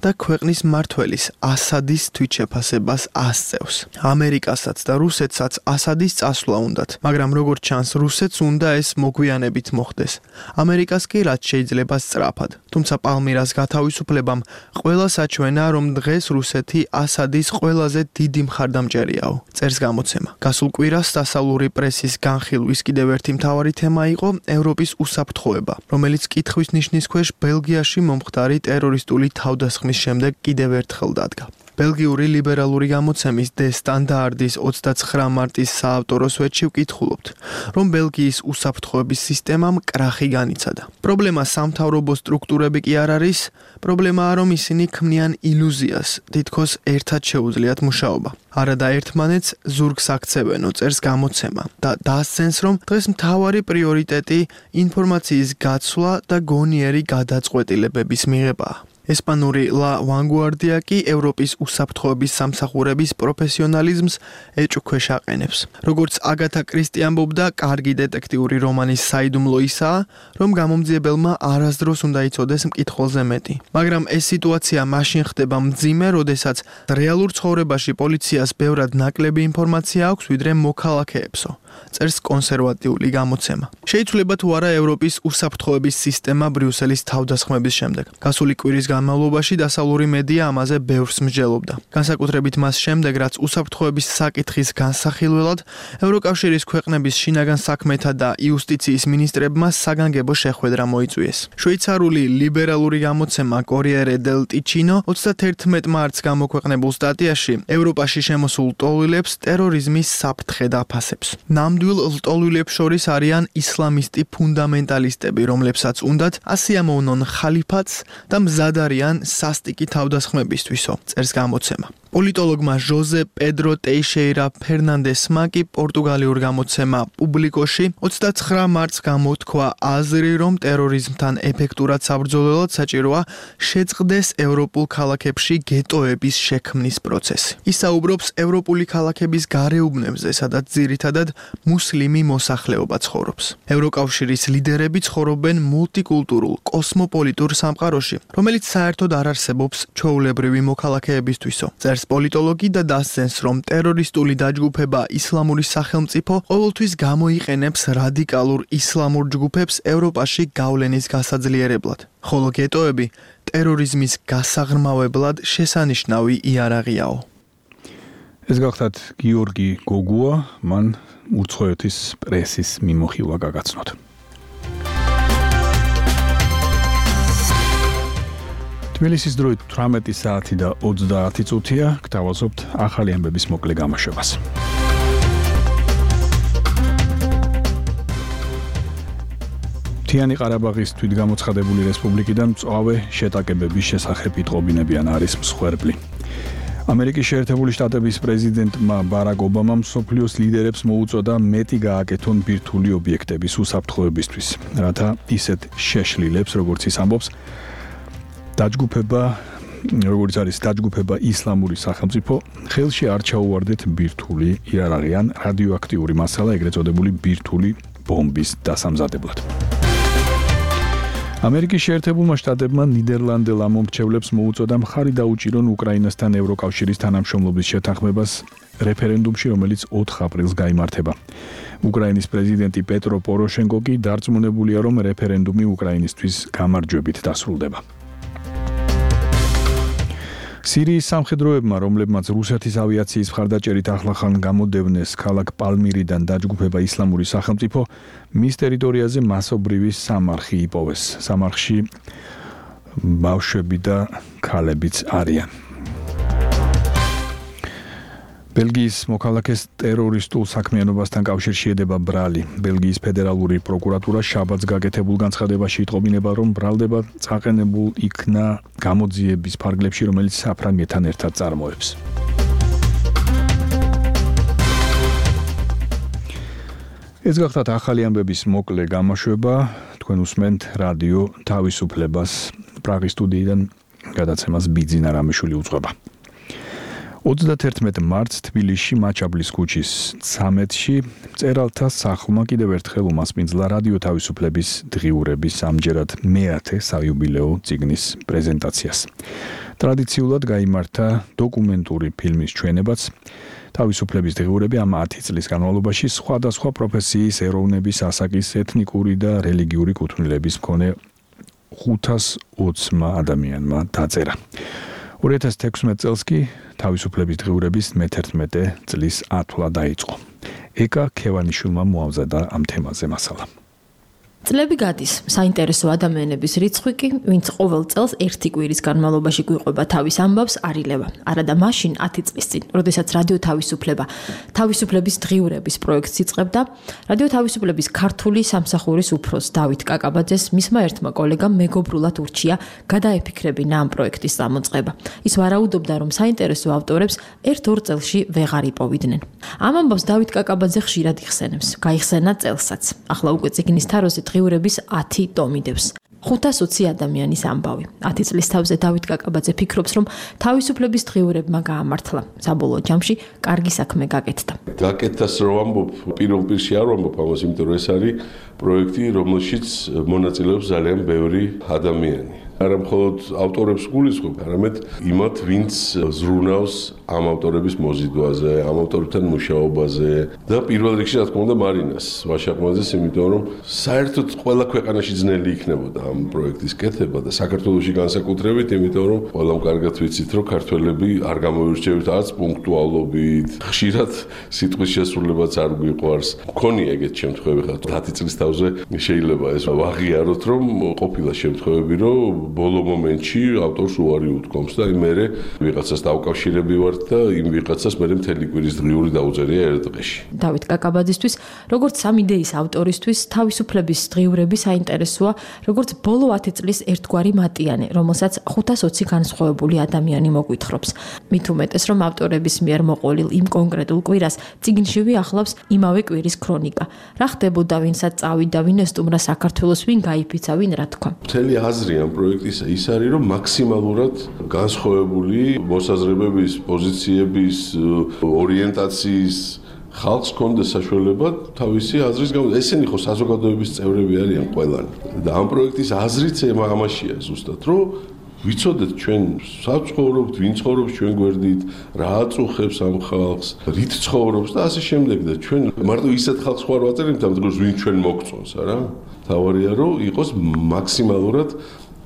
და ქვეყნის მმართველის ასადის თვითშეფასებას ასწევს. ამერიკასაც და რუსეთსაც ასადის წასვლა უნდათ, მაგრამ როგორც ჩანს, რუსეთს უნდა ეს მოგვიანებით მოხდეს. ამერიკას კი რაც შეიძლება სწრაფად. თუმცა პალმირას გათავისუფლებამ ყველა საჩვენა, რომ დღეს რუსეთი ასადის ყველაზე დიდი მხარდამჭერიაო, წერს გამოცემა. გასულ კვირას დასავლური პრესის განხილვის კიდევ ერთი მთავარი თემა იყო ევროპის უსაფრთხოება, რომელიც კითხვის ნიშნის ქვეშ ბელგიაში მომხდარი ტერორისტული თავდასხმის შემდეგ კიდევ ერთხელ დადგა. ბელგიური ლიბერალური გამოცემის დე სტანდარტის ოცდაცხრა მარტის საავტორო სვეტში ვკითხულობთ, რომ ბელგიის უსაფრთხოების სისტემამ კრახი განიცადა. პრობლემა სამთავრობო სტრუქტურები კი არ არის, პრობლემაა, რომ ისინი ქმნიან ილუზიას, თითქოს ერთად შეუძლიათ მუშაობა. არადა ერთმანეთს ზურგს აქცევენო, წერს გამოცემა და დასცენს, რომ დღეს მთავარი პრიორიტეტი ინფორმაციის გაცვლა და გონიერი გადაწყვეტილებების მიღებაა. ესპანური La Vanguardia კი ევროპის უსაფრთხოების სამსახურების პროფესიონალიზმს ეჭვქვეშ აყენებს. როგორც აგათა კრისტი ამბობდა, კარგი დეტექტიური რომანის საიდუმლო ისაა, რომ გამომძიებელმა არასდროს უნდა იცოდეს მკითხველზე მეტი. მაგრამ ეს სიტუაცია მაშინ ხდება მძიმე, როდესაც რეალურ ცხოვრებაში პოლიციას ბევრად ნაკლები ინფორმაცია აქვს, ვიდრე მოქალაქეებსო, წერს კონსერვატიული გამოცემა. შეიცვლება თუ არა ევროპის უსაფრთხოების სისტემა ბრიუსელის თავდასხმების შემდეგ. გასული კვირის განმავლობაში დასავლური მედია ამაზე ბევრს მსჯელობდა. განსაკუთრებით მას შემდეგ, რაც უსაფრთხოების საკითხის განსახილველად ევროკავშირის ქვეყნების შინაგან საქმეთა და იუსტიციის მინისტრებმა საგანგებო შეხვედრა მოიწვიეს. შვეიცარიული ლიბერალური გამოცემა Corriere del Ticino ოცდაათერთმეტ მარტს გამოქვეყნებულ სტატიაში ევროპაში შემოსულ ლტოლვილებს ტერორიზმის საფრთხე დაფასებს. ნამდვილ ლტოლვილებს შორის არიან ისლამისტი ფუნდამენტალისტები, რომლებსაც უნდათ ასიამოვნონ ხალიფატს და მზად არიან სასტიკი თავდასხმებისთვისო, წერს გამოცემა. პოლიტოლოგმა ჟოზე პედრო ტეიშეირა ფერნანდესმა კი პორტუგალიურ გამოცემა პუბლიკოში ოცდაცხრა მარტს გამოთქვა აზრი, რომ ტერორიზმთან ეფექტურად საბრძოლველად საჭიროა შეწყდეს ევროპულ ქალაქებში გეტოების შექმნის პროცესი. ის საუბრობს ევროპული ქალაქების გარეუბნებზე, სადაც ძირითადად მუსლიმი მოსახლეობა ცხოვრობს. ევროკავშირის ლიდერები ცხოვრობენ მულტიკულტურულ, კოსმოპოლიტურ სამყაროში, რომელიც საერთოდ არ არსებობს ჩვეულებრივი მოქალაქეებისთვისო. პოლიტოლოგი და დასცენს, რომ ტერორისტული დაჯგუფება ისლამური სახელმწიფო ყოველთვის გამოიყენებს რადიკალურ ისლამურ ჯგუფებს ევროპაში გავლენის გასაძლიერებლად, ხოლო გეტოები ტერორიზმის გასაღრმავებლად შესანიშნავი იარაღიაო. ეს გახლავთ გიორგი გოგუა, მან უცხოეთის პრესის მიმოხილვა გაგაცნოთ. თბილისის დროით თვრამეტი საათი და ოცდაათი წუთია, გთავაზობთ ახალი ამბების მოკლე გამოშვებას. მთიანი ყარაბაღის თვითგამოცხადებული რესპუბლიკიდან მწვავე შეტაკებების შესახებ იტყობინებიან არის მსხვერპლი. ამერიკის შეერთებული შტატების პრეზიდენტმა ბარაკ ობამამ მსოფლიოს ლიდერებს მოუწოდა მეტი გააკეთონ ბირთვული ობიექტების უსაფრთხოებისთვის, რათა ისეთ შეშლილებს, როგორც ის ამბობს, დაჯგუფება, როგორც არის დაჯგუფება ისლამური სახელმწიფო, ხელში არ ჩაუვარდეთ ბირთვული იარაღი ან რადიოაქტიური მასალა, ეგრეთ წოდებული ბირთვული ბომბის დასამზადებლად. ამერიკის შეერთებულმა შტატებმა ნიდერლანდელ ამომრჩევლებს მოუწოდა მხარი დაუჭირონ უკრაინასთან ევროკავშირის თანამშრომლობის შეთანხმებას რეფერენდუმში, რომელიც ოთხ აპრილს გაიმართება. უკრაინის პრეზიდენტი პეტრო პოროშენკო კი დარწმუნებულია, რომ რეფერენდუმი უკრაინისთვის გამარჯვებით დასრულდება. სირიის სამხედროებმა, რომლებმაც რუსეთის ავიაციის მხარდაჭერით ახლახან გამოდევნეს ქალაქ პალმირიდან დაჯგუფება ისლამური სახელმწიფო, მის ტერიტორიაზე მასობრივი სამარხი იპოვეს. სამარხში ბავშვები და ქალებიც არიან. ბელგიის მოქალაქეს ტერორისტულ საქმიანობასთან კავშირში ედება ბრალი. ბელგიის ფედერალური პროკურატურა შაბათს გაკეთებულ განცხადებაში იტყობინება, რომ ბრალდება წაყენებულ იქნა გამოძიების ფარგლებში, რომელიც საფრანგეთთან ერთად წარმოებს. ეს გახლავთ ახალი ამბების მოკლე გამოშვება. თქვენ უსმენთ რადიო თავისუფლებას. პრაღის სტუდიიდან გადაცემას ბიძინა რამიშვილი უძღვება. ოცდათერთმეტ მარტს თბილისში მაჩაბლის ქუჩის ცამეტში მწერალთა სახლმა კიდევ ერთხელ უმასპინძლა რადიო თავისუფლების დღიურების ამჯერად მეათე საიუბილეო წიგნის პრეზენტაციას. ტრადიციულად გაიმართა დოკუმენტური ფილმის ჩვენებაც. თავისუფლების დღიურები ამ ათი წლის განმავლობაში სხვადასხვა პროფესიის, ეროვნების, ასაკის, ეთნიკური და რელიგიური კუთვნილების მქონე ხუთას ოცმა ადამიანმა დაწერა. ორი ათას თექვსმეტ წელს კი თავისუფლების დღიურების მეთერთმეტე წლის ათვლა დაიწყო. ეკა ქევანიშვილმა მოამზადა ამ თემაზე მასალა. წლები გადის, საინტერესო ადამიანების რიცხვი კი, ვინც ყოველ წელს ერთი კვირის განმავლობაში გვიყვება თავის ამბავს, არ ილევა. არადა მაშინ ათი წლის წინ, როდესაც რადიო თავისუფლება თავისუფლების დღიურების პროექტს იწყებდა, რადიო თავისუფლების ქართული სამსახურის უფროს დავით კაკაბაძეს მისმა ერთმა კოლეგამ მეგობრულად ურჩია გადაეფიქრებინა ამ პროექტის წამოწყება. ის ვარაუდობდა, რომ საინტერესო ავტორებს ერთ-ორ წელში ვეღარ იპოვიდნენ. ამ ამბავს დავით კაკაბაძე ხშირად იხსენებს, გაიხსენა წელსაც. ახლა უკვე წიგნის თაროზე დღიურების ათი ტომი დევს. ხუთას ოცი ადამიანის ამბავი. ათი წლის თავზე დავით კაკაბაძე ფიქრობს, რომ თავისუფლების დღიურებმა გაამართლა. საბოლოო ჯამში კარგი საქმე გაკეთდა. გაკეთდას რო ვამბობ, პირველ პირში არ ვამბობ ამას, იმიტომ რომ ეს არის პროექტი, რომელშიც მონაწილეობს ძალიან ბევრი ადამიანი. არა მხოლოდ ავტორებს გულისხმობ, არამედ იმათ, ვინც ზრუნავს ამ ავტორების მოზიდვაზე, ამ ავტორებთან მუშაობაზე და პირველ რიგში რა თქმა უნდა მარინას ვაშაყმაძეს, იმიტომ რომ საერთოდ ყველა ქვეყანაში ძნელი იქნებოდა ამ პროექტის კეთება და საქართველოში განსაკუთრებით, იმიტომ რომ ყველამ კარგად ვიცით, რომ ქართველები არ გამოირჩევით არც პუნქტუალობით, ხშირად სიტყვის შესრულებაც არ გვიყვარს. მქონია ეგეთ შემთხვევები, ხა ათი წლის თავზე შეიძლება ეს ვაღიაროთ, რომ ყოფილა შემთხვევები, რომ ბოლო მომენტში ავტორს უარი უთქვამს და მე ვიღაცას დავკავშირები ვართ და იმ ვიღაცას მე მთელი კვირის დღიური დაუწერია ერთ დღეში. დავით კაკაბაძისთვის, როგორც სამ იდეის ავტორისთვის, თავისუფლების დღიურები საინტერესოა, როგორც ბოლო ათი წლის ერთგვარი მატიანე, რომელსაც ხუთას ოცი განსხვავებული ადამიანი მოგვითხრობს. მით უმეტეს, რომ ავტორების მიერ მოყოლილ იმ კონკრეტულ კვირას წიგნშივე ახლავს იმავე კვირის ქრონიკა. რა ხდებოდა, ვინსაც წავიდა, ვინ ესტუმრა საქართველოს, ვინ გაიფიცა, ვინ რა თქვა. მთელი აზრი ამ პროექტისა ის არის, რომ მაქსიმალურად განსხვავებული მოსაზრებების, პოზიციების, ორიენტაციის ხალხს კონდეს საშუალება თავისი აზრის გამო. ესენი ხო საზოგადოების წევრები არიან ყველანი. და ამ პროექტის აზრიც ამაშია ზუსტად, რომ ვიცოდეთ ჩვენ საცხოვრობთ, ვინ ცხოვრობს ჩვენ გვერდით, რა აწუხებს ამ ხალხს, რით ცხოვრობს და ასე შემდეგ და ჩვენ მარტო ისეთ ხალხს ხوار ვაწერებთ ამ დროს ვინ ჩვენ მოგწონს, არა? თავარია რომ იყოს მაქსიმალურად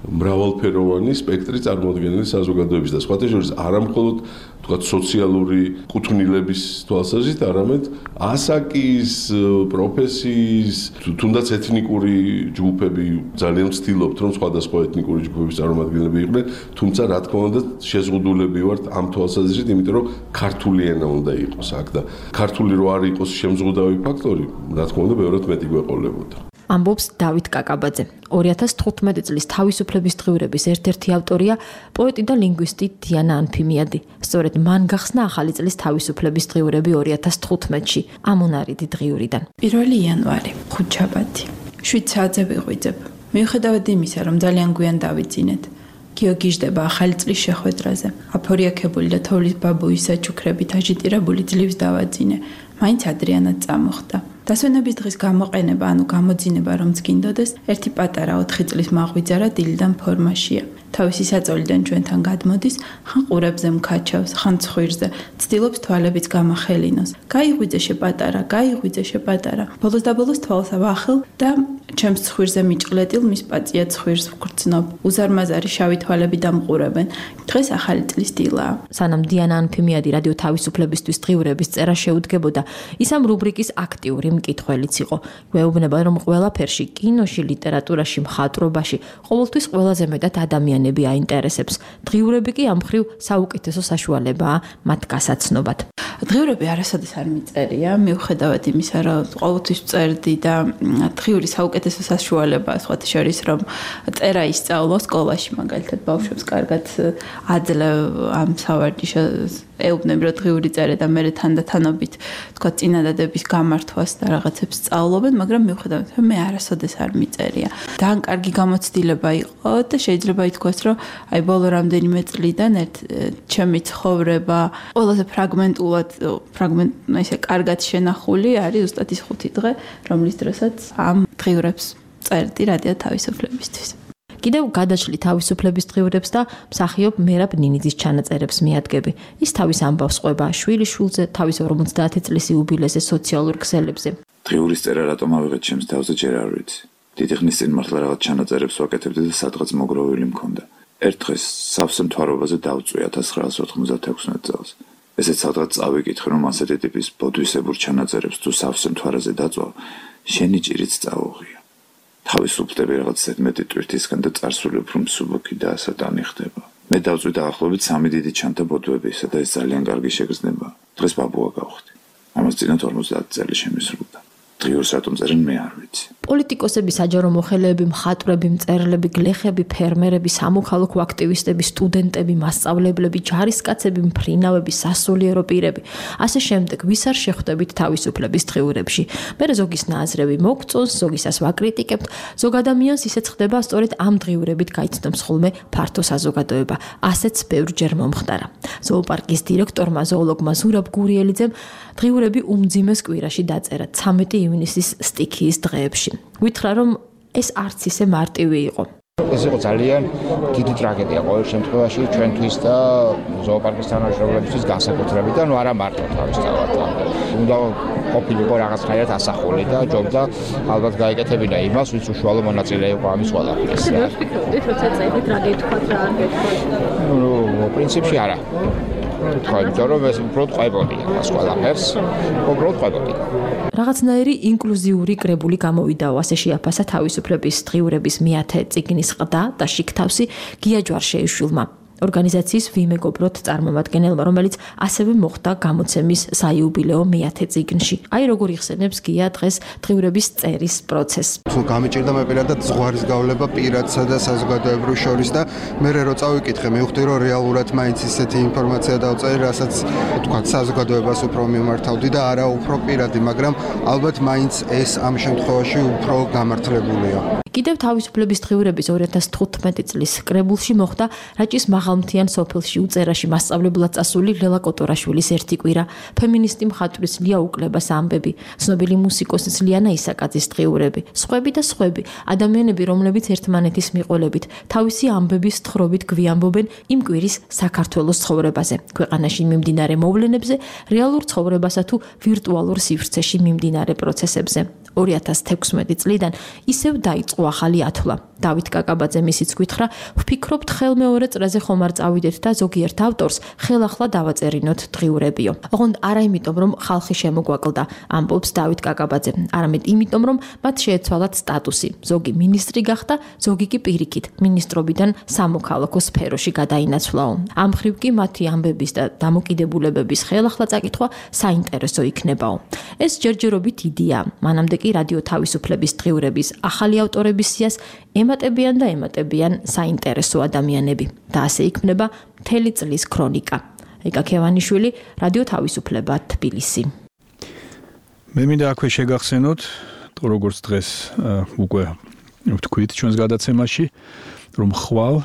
მრავალფეროვანი სპექტრი წარმოადგენელი საზოგადოების და სხვათა შორის არა მხოლოდ თქვა სოციალური კუთვნილების თვალსაზრისით, არამედ ასაკის, პროფესიის, თუნდაც ეთნიკური ჯგუფები ძალიან ვცდილობთ, რომ სხვადასხვა ეთნიკური ჯგუფების წარმომადგენლები იყვნენ, თუმცა რა თქმა უნდა შეზღუდულები ვართ ამ თვალსაზრისით, იმიტომ რომ ქართული ენა უნდა იყოს აქ და ქართული რო არ იყოს შემზღუდავი ფაქტორი, რა თქმა უნდა ბევრად მეტი გვეყოლებოდა. ამბობს დავით კაკაბაძე. ორი ათას თხუთმეტი წლის თავისუფლების დღიურების ერთ-ერთი ავტორია პოეტი და ლინგვისტი დიანა ანფიმიადი. სწორედ მან გახსნა ახალი წლის თავისუფლების დღიურები ორი ათას თხუთმეტში ამონარიდი დღიურიდან. პირველი იანვარი, ხუთშაბათი. შვიდ საათზე ვიღვიძებ. მიუხედავად იმისა, რომ ძალიან გვიან დავიძინეთ. გიოგიჟდება ახალი წლის შეხვედრაზე. აფორიაქებული და თოვლის ბაბუის საჩუქრებით აჟიტირებული ძლივს დავაძინე. მაინც ადრიანად წამოხდა. დასვენების დღის გამოყენება, ანუ გამოძინება რომც გინდოდეს, ერთი პატარა ოთხი წლის მაღვიძარა დილიდან ფორმაშია. თავისი საწოლიდან ჩვენთან გადმოდის, ხან ყურებზე მქაჩავს, ხან ცხვირზე, ცდილობს თვალებიც გამახელინოს. გაიღვიძე შეპატარა, გაიღვიძე შეპატარა. ბოლოს და ბოლოს თვალს ავახელ და ჩემს ცხვირზე მიჭყლეტილ მის პაწია ცხვირს ვგრძნობ. უზარმაზარი შავი თვალები დამყურებენ. დღეს ახალი წლის დილაა. სანამ დიანა ანფიმიადი რადიო თავისუფლებისთვის დღიურების წერა შეუდგებოდა, ის ამ რუბრიკის აქტიური მკითხველიც იყო. გვეუბნება, რომ ყველაფერში, კინოში, ლიტერატურაში, მხატვრობაში, ყოველთვის ყველაზე მეტად ადამიანები აინტერესებს. დღიურები კი ამ მხრივ საუკეთესო საშუალებაა მათ გასაცნობად. დღიურები არასოდეს არ მიწერია, მიუხედავად იმისა, რომ ყოველთვის წერდი და დღიური საუკეთესო საშუალებაა, სხვათა შორის, რომ წერა ისწავლო სკოლაში, მაგალითად, ბავშვებს კარგად აძლევ ამ სავარჯიშოს ეუბნები, რომ დღიური წერე და მე თანდათანობით, თქვა, წინადადების გამართვას და რაღაცებს სწავლობენ, მაგრამ მიუხედავად, მე არასოდეს არ მიწერია. ძალიან კარგი გამოცდილება იყო და შეიძლება ითქვას, რომ აი ბოლო რამდენიმე წლიდან ერთ ჩემი ცხოვრება ყველაზე ფრაგმენტულად, ფრაგმენტ, ისე კარგად შენახული არის ზუსტად ის ხუთი დღე, რომლის დროსაც ამ დღიურებს წერდი რადიო თავისუფლებისთვის. კიდევ გადაშლი თავისუფლების დღიურებს და მსახიობ მერაბ ნინიძის ჩანაწერებს მიადგები. ის თავის ამბავს ყვება შვილი შულზე, თავის ორმოცდაათი წლის იუბილეზე სოციალურ ქსელებზე. დღიურის წერა რატომ ავიღეთ ჩემს თავზე ჯერ არ ვიცი. დიდი ხნის წინ მართლა რაღაც ჩანაწერებს ვაკეთებდი და სადღაც მოგროვილი მქონდა. ერთ დღეს სავსე მთვარობაზე დავწვი ათას ცხრაას ოთხმოცდათექვსმეტ წელს. ესეც სადღაც წავიკითხე, რომ ასეთი ტიპის ბოდვისებურ ჩანაწერებს თუ სავსე მთვარაზე დაწვა, შენი ჭირიც წაუღია. თავისუფლდები რაღაც ზედმეტი ტვირთისგან და წარსული უფრო მსუბუქი და ასატანი ხდება. მე დავწვი დაახლოებით სამი დიდი ჩანთა ბოდვები, და ეს ძალიან კარგი შეგრძნება. დღეს ბაბუა გავხდი. ამას წინათ ორმოცდაათი წელი შემისრულდა. დღიურს რატომ წერენ მე არ ვიცი. პოლიტიკოსები, საჯარო მოხელეები, მხატვრები, მწერლები, გლეხები, ფერმერები, სამოქალაქო აქტივისტები, სტუდენტები, მასწავლებლები, ჯარისკაცები, მფრინავები, სასულიერო პირები. ასე შემდეგ, ვის არ შეხვდებით თავისუფლების დღიურებში. მე ზოგის ნაზრები მოგწონს, ზოგისას ვაკრიტიკებთ, ზოგ ადამიანს ისეც ხდება, სწორედ ამ დღიურებით გაიცნობს ხოლმე ფართო საზოგადოება. ასეც ბევრჯერ მომხდარა. ზოოპარკის დირექტორმა, ზოოლოგმა ზურაბ გურიელიძემ დღიურები უმძიმეს კვირაში დაწერა ცამეტი ივნისის სტიქიის დღეებში. გითხრა, რომ ეს არც ისე მარტივი იყო. ეს იყო ძალიან დიდი ტრაგედია ყოველ შემთხვევაში ჩვენთვის და ზოოპარკის თანამშრომლებისთვის განსაკუთრებით და ნუ არა მარტო თავისთავად. უნდა ყოფილიყო რაღაცნაირად ასახული და ჯობდა ალბათ გაეკეთებინა იმას, ვინც უშუალო მონაწილე იყო ამის ყველაფერს. როცა წერდით რა გეთქვათ რა არ გეთქვათ? ნუ პრინციპში არა. თქვა, იმიტომ რომ ეს უფრო ყვებოდი მას ყველაფერს, უბრალოდ ყვებოდი. რაღაცნაირი ინკლუზიური კრებული გამოვიდაო, ასე შეაფასა თავისუფლების დღიურების მეათე წიგნის ყდა და შიგთავსი გია ჯვარშეიშვილმა. ორგანიზაციის ვიმეგობროთ წარმომადგენელმა, რომელიც ასევე მოხდა გამოცემის საიუბილეო მეათე წიგნში. აი როგორ იხსენებს გია დღეს დღიურების წერის პროცესს. თუ გამიჭირდა მე პირადად ზღვარის გავლება პირადსა და საზოგადოებრივ შორის და მე რო წავიკითხე, მივხვდი რომ რეალურად მაინც ისეთი ინფორმაცია დავწერე, რასაც თქვა საზოგადოებას უფრო მიმართავდი და არა უფრო პირადი, მაგრამ ალბათ მაინც ეს ამ შემთხვევაში უფრო გამართლებულია. კიდევ თავისუფლების დღიურების ორი ათას თხუთმეტი წლის კრებულში მოხდა რაჭის მაღალმთიან სოფელში უწერაში მასწავლებლად წასული ლელა კოტორაშვილის ერთი კვირა, ფემინისტი მხატვრის ლია უკლებას ამბები, ცნობილი მუსიკოსის ლიანა ისაკაძის დღიურები, სხვები და სხვები, ადამიანები, რომლებიც ერთმანეთის მიყოლებით, თავისი ამბების თხრობით გვიამბობენ იმ კვირის საქართველოს ცხოვრებაზე, ქვეყანაში მიმდინარე მოვლენებზე, რეალურ ცხოვრებასა თუ ვირტუალურ სივრცეში მიმდინარე პროცესებზე. ორი ათას თექვსმეტი წლიდან ისევ დაიწყო ახალი ათვლა. დავით კაკაბაძე მისიც გითხრა, ვფიქრობთ ხელმეორე წრეზე ხომ არ წავიდეთ და ზოგიერთ ავტორს ხელახლა დავაწერინოთ დღიურებიო. ოღონდ არა იმიტომ, რომ ხალხი შემოგვაკლდა, ამბობს დავით კაკაბაძე, არამედ იმიტომ, რომ მათ შეეცვალათ სტატუსი. ზოგი მინისტრი გახდა, ზოგი კი პირიქით მინისტრობიდან სამოქალაქო სფეროში გადაინაცვლაო. ამ მხრივ კი მათი ამბების და დამოკიდებულებების ხელახლა წაკითხვა საინტერესო იქნებაო. ეს ჯერჯერობით იდეა, მანამდე კი რადიო თავისუფლების დღიურების ახალი ავტორების სიას ემატებიან და ემატებიან საინტერესო ადამიანები და ასე იქმნება მთელი წლის ქრონიკა. ეკა ქევანიშვილი, რადიო თავისუფლება, თბილისი. მე მინდა აქვე შეგახსენოთ, როგორც დღეს უკვე ვთქვით ჩვენს გადაცემაში, რომ ხვალ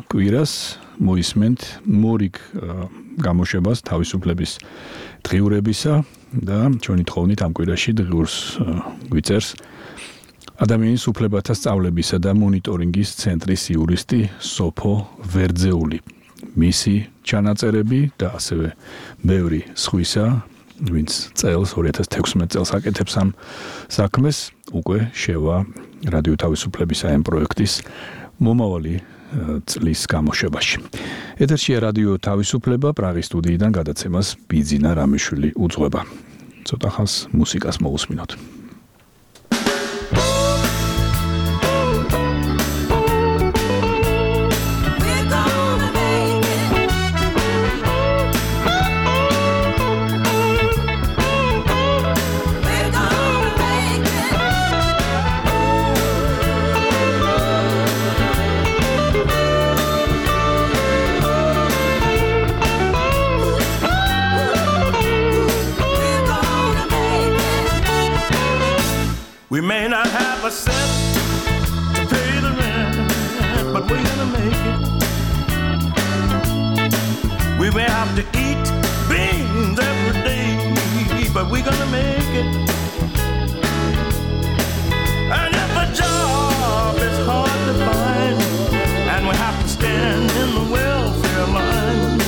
კვირას მოისმენთ მორიგ გამოშვებას თავისუფლების დღიურებისა და ჩვენი თხოვნით ამ კვირაში დღიურს გვიწერს ადამიანის უფლებათა სწავლებისა და მონიტორინგის ცენტრის იურისტი სოფო ვერძეული. მისი ჩანაწერები და ასევე ბევრი სხვისა, ვინც წელს ორი ათას თექვსმეტ წელს აკეთებს ამ საქმეს, უკვე შევა რადიო თავისუფლების ამ პროექტის მომავალი წლის გამოშვებაში. ეთერშია რადიო თავისუფლება, პრაღის სტუდიიდან გადაცემას ბიძინა რამიშვილი უძღვება. ცოტა ხანს მუსიკას მოусმინოთ. We may not have a cent to pay the rent, but we're gonna make it. We may have to eat beans every day, but we're gonna make it. And if a job is hard to find, and we have to stand in the welfare line,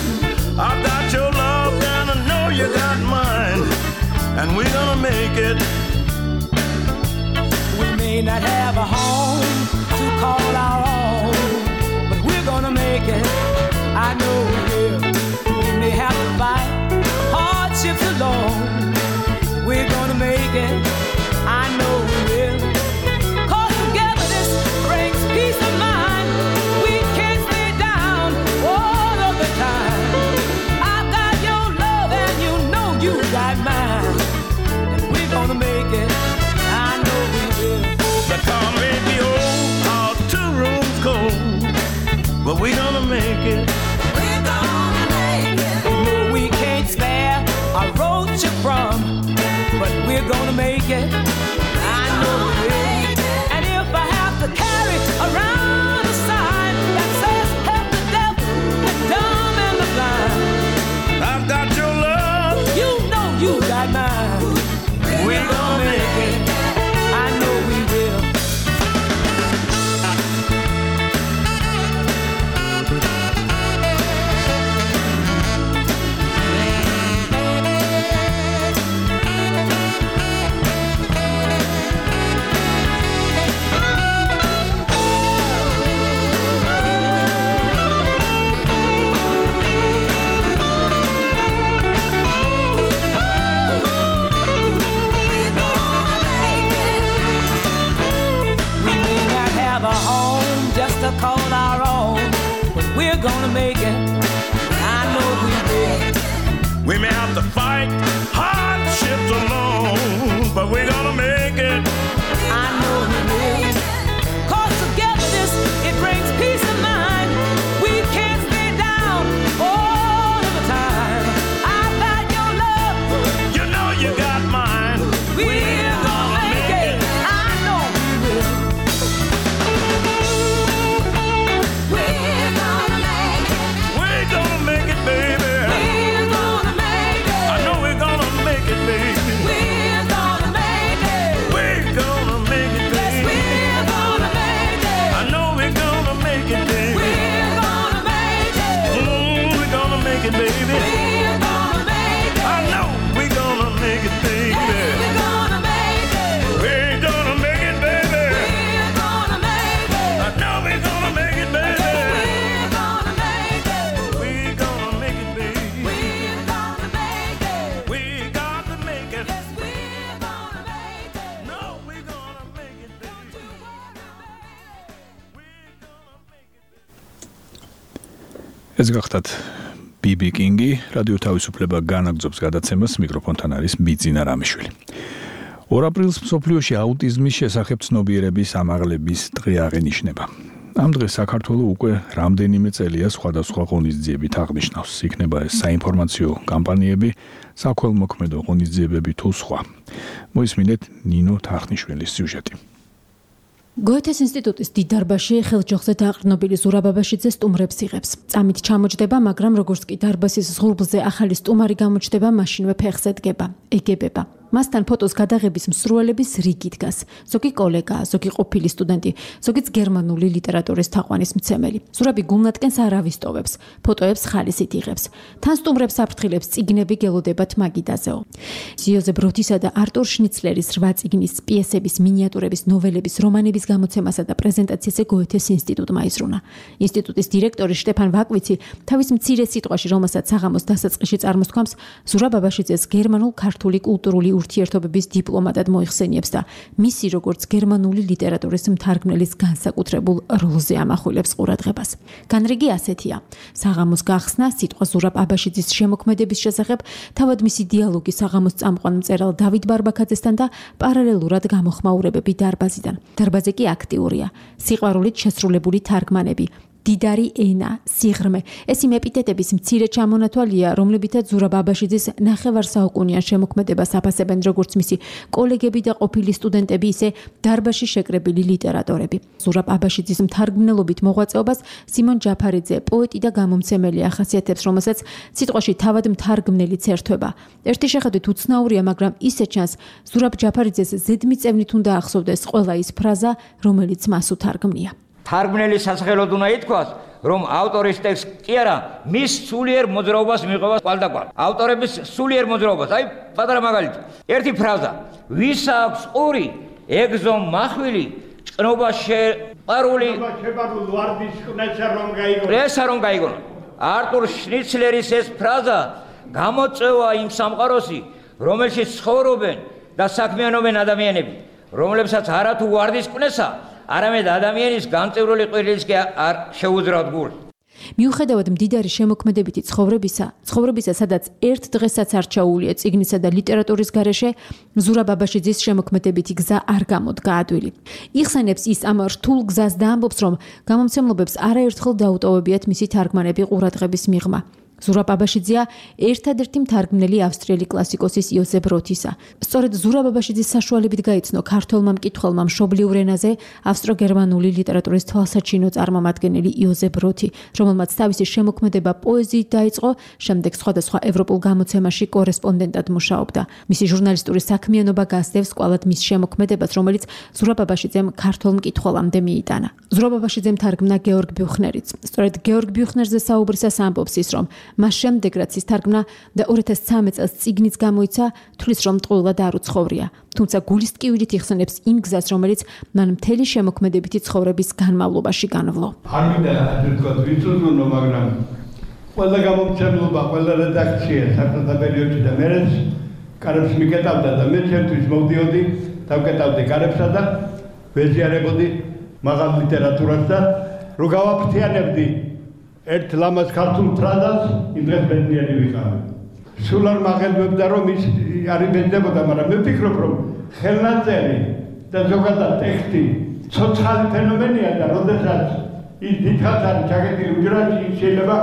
I've got your love and I know you got mine, and we're gonna make it. May not have a home to call our own, but we're gonna make it. I know we will. We may have to fight hardships alone. We're gonna make it. I know we will. 'Cause togetherness brings peace of mind. We can't stay down all of the time. I've got your love and you know you got mine, and we're gonna make it. I know we will. The car may be old, our two rooms cold, but we're gonna make it. We're gonna make it. No, we can't spare a roach from, but we're gonna make it. I know we will. And if I have to carry around a sign that says help the deaf, the dumb and the blind, I've got your love, you know you got mine. We're gonna make it. I know we will. we're gonna make it. I know we will. We may have to fight hardships alone, but we're gonna make it. I know we will. Cause togetherness, it brings peace of mind. We can't stay down all of the time. I've got your love, you know you got mine. We're gonna make it. I know we will. We're gonna make it. We're gonna make it, baby. We're gonna make it. I know we're gonna make it, baby. We're gonna make it. We're gonna make it, baby. Yes, we're gonna make it. I know we're gonna make it, baby. We're gonna make it. Mm, we're gonna make it, baby. We're gonna make it. I know we're gonna make it, baby. Yes, we're gonna make it. We're gonna make it, baby. We're gonna make it. I know we're gonna make it, baby. We're gonna make it. We're gonna make it, baby. We're gonna make it. We got to make it. Yes, we're gonna make it. No, we're gonna make it, baby. ეს გახდათ ბიბი კინგი, რადიო თავისუფლება განაგრძობს გადაცემას, მიკროფონთან არის ბიძინა რამიშვილი. ორ აპრილს მსოფლიოში აუტიზმის შესახებ ცნობიერების ამაღლების დღე აღენიშნება. ამ დღეს საქართველოს უკვე რამდენიმე წელია სხვადასხვა ღონისძიებით აღნიშნავს. იქნება ეს საინფორმაციო კამპანიები, საქველმოქმედო ღონისძიებები თუ სხვა. მოისმინეთ ნინო თახნიშვილის სიუჟეტი. გოეთეს ინსტიტუტის დიდ დარბაზში ხელჯოხზე დაყრდნობილი ზურაბ აბაშიძე სტუმრებს იღებს. წამით ჩამოჯდება, მაგრამ როგორც კი დარბაზის ზღურბლზე ახალი სტუმარი გამოჩნდება, მაშინვე ფეხზე დგება, ეგებება. მასთან ფოტოს გადაღების მსურველების რიგი დგას. ზოგი კოლეგა, ზოგი ყოფილი სტუდენტი, ზოგიც გერმანული ლიტერატურის თაყვანის მცემელი. ზურაბი გულნატკენს არ ავისტოვებს, ფოტოებს ხალისით იღებს. თან სტუმრებს აფრთხილებს წიგნები გელოდებათ მაგიდაზეო. იოზეფ ბროთისა და არტურ შნიცლერის რვა წიგნის, პიესების, მინიატურების, ნოველების, რომანების გამოცემასა და პრეზენტაციაზე გოეთეს ინსტიტუტმა იზრუნა. ინსტიტუტის დირექტორი შტეფან ვაკვიცი თავის მცირე სიტყვაში, რომელსაც საღამოს დასაწყისში წარმოსთქვამს, ზურაბ აბაშიძეს გერმანულ-ქართული კულტურული ურთიერთობების დიპლომატად მოიხსენიებს და მისი როგორც გერმანული ლიტერატურის მთარგმნელის განსაკუთრებულ როლზე ამახვილებს ყურადღებას. განრიგი ასეთია: საღამოს გახსნა, სიტყვა ზურაბ აბაშიძის შემოქმედების შესახებ, თავად მისი დიალოგი საღამოს წამყვან მწერალ დავით ბარბაქაძესთან და პარალელურად გამოხმაურებები დარბაზიდან. დარბაზი კი აქტიურია, სიყვარულით შესრულებული თარგმანები, დიდარი ენა, სიღრმე. ეს იმ ეპიტეტების მცირე ჩამონათვალია, რომლებითაც ზურაბ აბაშიძის ნახევარსაუკუნიან შემოქმედებას აფასებენ როგორც მისი კოლეგები და ყოფილი სტუდენტები, ისე დარბაზში შეკრებილი ლიტერატორები. ზურაბ აბაშიძის მთარგმნელობით მოღვაწეობას სიმონ ჯაფარიძე, პოეტი და გამომცემელი ახასიათებს, რომელსაც სიტყვაში თავად მთარგმნელიც ერთვება. ერთი შეხედვით უცნაურია, მაგრამ ისე ჩანს, ზურაბ ჯაფარიძეს ზედმიწევნით უნდა ახსოვდეს ყველა ის ფრაზა, რომელიც მას უთარგმნია. თარგმნელის სასახელოდ უნდა ითქვას, რომ ავტორის ტექსტი კი არა, მის სულიერ მოძრაობას მიყვება კვალდაკვალ. ავტორების სულიერ მოძრაობას, აი პატარა მაგალითი. ერთი ფრაზა: ვის აქვს ყური, ეგზო მახვილი, ჭკნობა შეყარული, შეყარული ვარდის ყნესა რომ გაიგონა. ესა რომ გაიგონა. არტურ შნიცლერის ეს ფრაზა გამოწვევა იმ სამყაროსი, რომელშიც ცხოვრობენ და საქმიანობენ ადამიანები, რომლებსაც არათუ ვარდის ყნესა არამედ ადამიანის განწევრული ყვირილის კი არ შეუძრავთ გულს. მიუხედავად მდიდარი შემოქმედებითი ცხოვრებისა, ცხოვრებისა, სადაც ერთ დღესაც არ ჩაუვლია წიგნისა და ლიტერატურის გარეშე, ზურაბ აბაშიძის შემოქმედებითი გზა არ გამოდგა ადვილი. იხსენებს ის ამ რთულ გზას და ამბობს, რომ გამომცემლობებს არაერთხელ დაუტოვებიათ მისი თარგმანები ყურადღების მიღმა. ზურაბ აბაშიძეა ერთადერთი მთარგმნელი ავსტრიელი კლასიკოსის იოზეფ ბროთისა. სწორედ ზურაბ აბაშიძის საშუალებით გაიცნო ქართველმა მკითხველმა მშობლიურ ენაზე ავსტრო-გერმანული ლიტერატურის თვალსაჩინო წარმომადგენელი იოზეფ ბროთი, რომელმაც თავისი შემოქმედება პოეზიით დაიწყო, შემდეგ სხვადასხვა ევროპულ გამოცემაში კორესპონდენტად მუშაობდა. მისი ჟურნალისტური საქმიანობა გასდევს კვალად მის შემოქმედებას, რომელიც ზურაბ აბაშიძემ ქართველ მკითხველამდე მიიტანა. ზურაბ აბაშიძემ თარგმნა გეორგ ბიუხნერიც. სწორედ გეორგ ბიუხნერზე საუბრისას ამბობს ის, რომ მას შემდეგ რაც ის თარგმნა და ორი ათას ცხრამეტ წელს წიგნიც გამოიცა, თulis რომ ტყუილად არ უცხოვრია. თუმცა გულის ტკივილით იხსენებს იმ გზას, რომელიც მან მთელი შემოქმედებითი ცხოვრების განმავლობაში განვლო. არ მინდა თქვა ვიცოდნო, მაგრამ ყველა გამომცემლობა, ყველა რედაქცია საკუთარ პერიოდში და მერეც კარებს მიკეტავდა და მე ჩემთვის მოვდიოდი, დავკეტავდი კარებსა და ვეზიარებოდი მაღალ ლიტერატურას და რო გავაფრთიანებდი ერთ ლამაზ ქართულ ფრაზას იმ დღეს ბედნიერი ვიყავი. სულ არ მაღელვებდა რომ ის არ იბეძებოდა, მაგრამ მე ვფიქრობ რომ ხელნაწერი და ზოგადად ტექსტი ცოცხალი ფენომენია და როდესაც ის დიდხანს არის ჩაკეტილი უჯრაში შეიძლება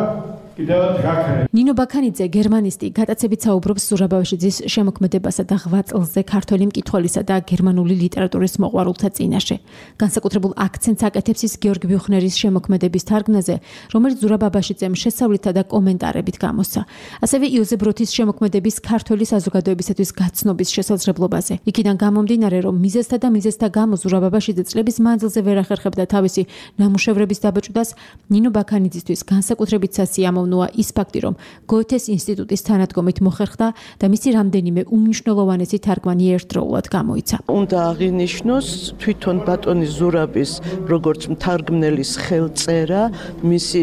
კიდევაც გაქრე. ნინო ბაქანიძე, გერმანისტი, გატაცებით საუბრობს ზურაბავაშიძის შემოქმედებასა და ღვაწლზე ქართველი მკითხველისა და გერმანული ლიტერატურის მოყვარულთა წინაშე. განსაკუთრებულ აქცენტს აკეთებს ის გიორგი ბიუხნერის შემოქმედების თარგმნაზე, რომელიც ზურაბავაშიძემ შესწავლითა და კომენტარებით გამოსცა. ასევე იოზებ როთის შემოქმედების ქართველი საზოგადოებისათვის გაცნობის შესაძლებლობაზე. იქიდან გამომდინარე, რომ მიზეზთა და მიზეზთა გამო ზურაბავაშიძე წლების მანძილზე ვერ ახერხებდა თავისი ნამუშევრების დაბეჭდას, ნინო ბაქანიძისთვის განსაკუთრებით სასიამოვნოა ის ფაქტი, რომ გოეთეს ინსტიტუტის თანადგომით მოხერხდა და მისი რამდენიმე უმნიშვნელოვანესი თარგმანი ერთდროულად გამოიცა. უნდა აღინიშნოს თვითონ ბატონი ზურაბის როგორც მთარგმნელის ხელწერა, მისი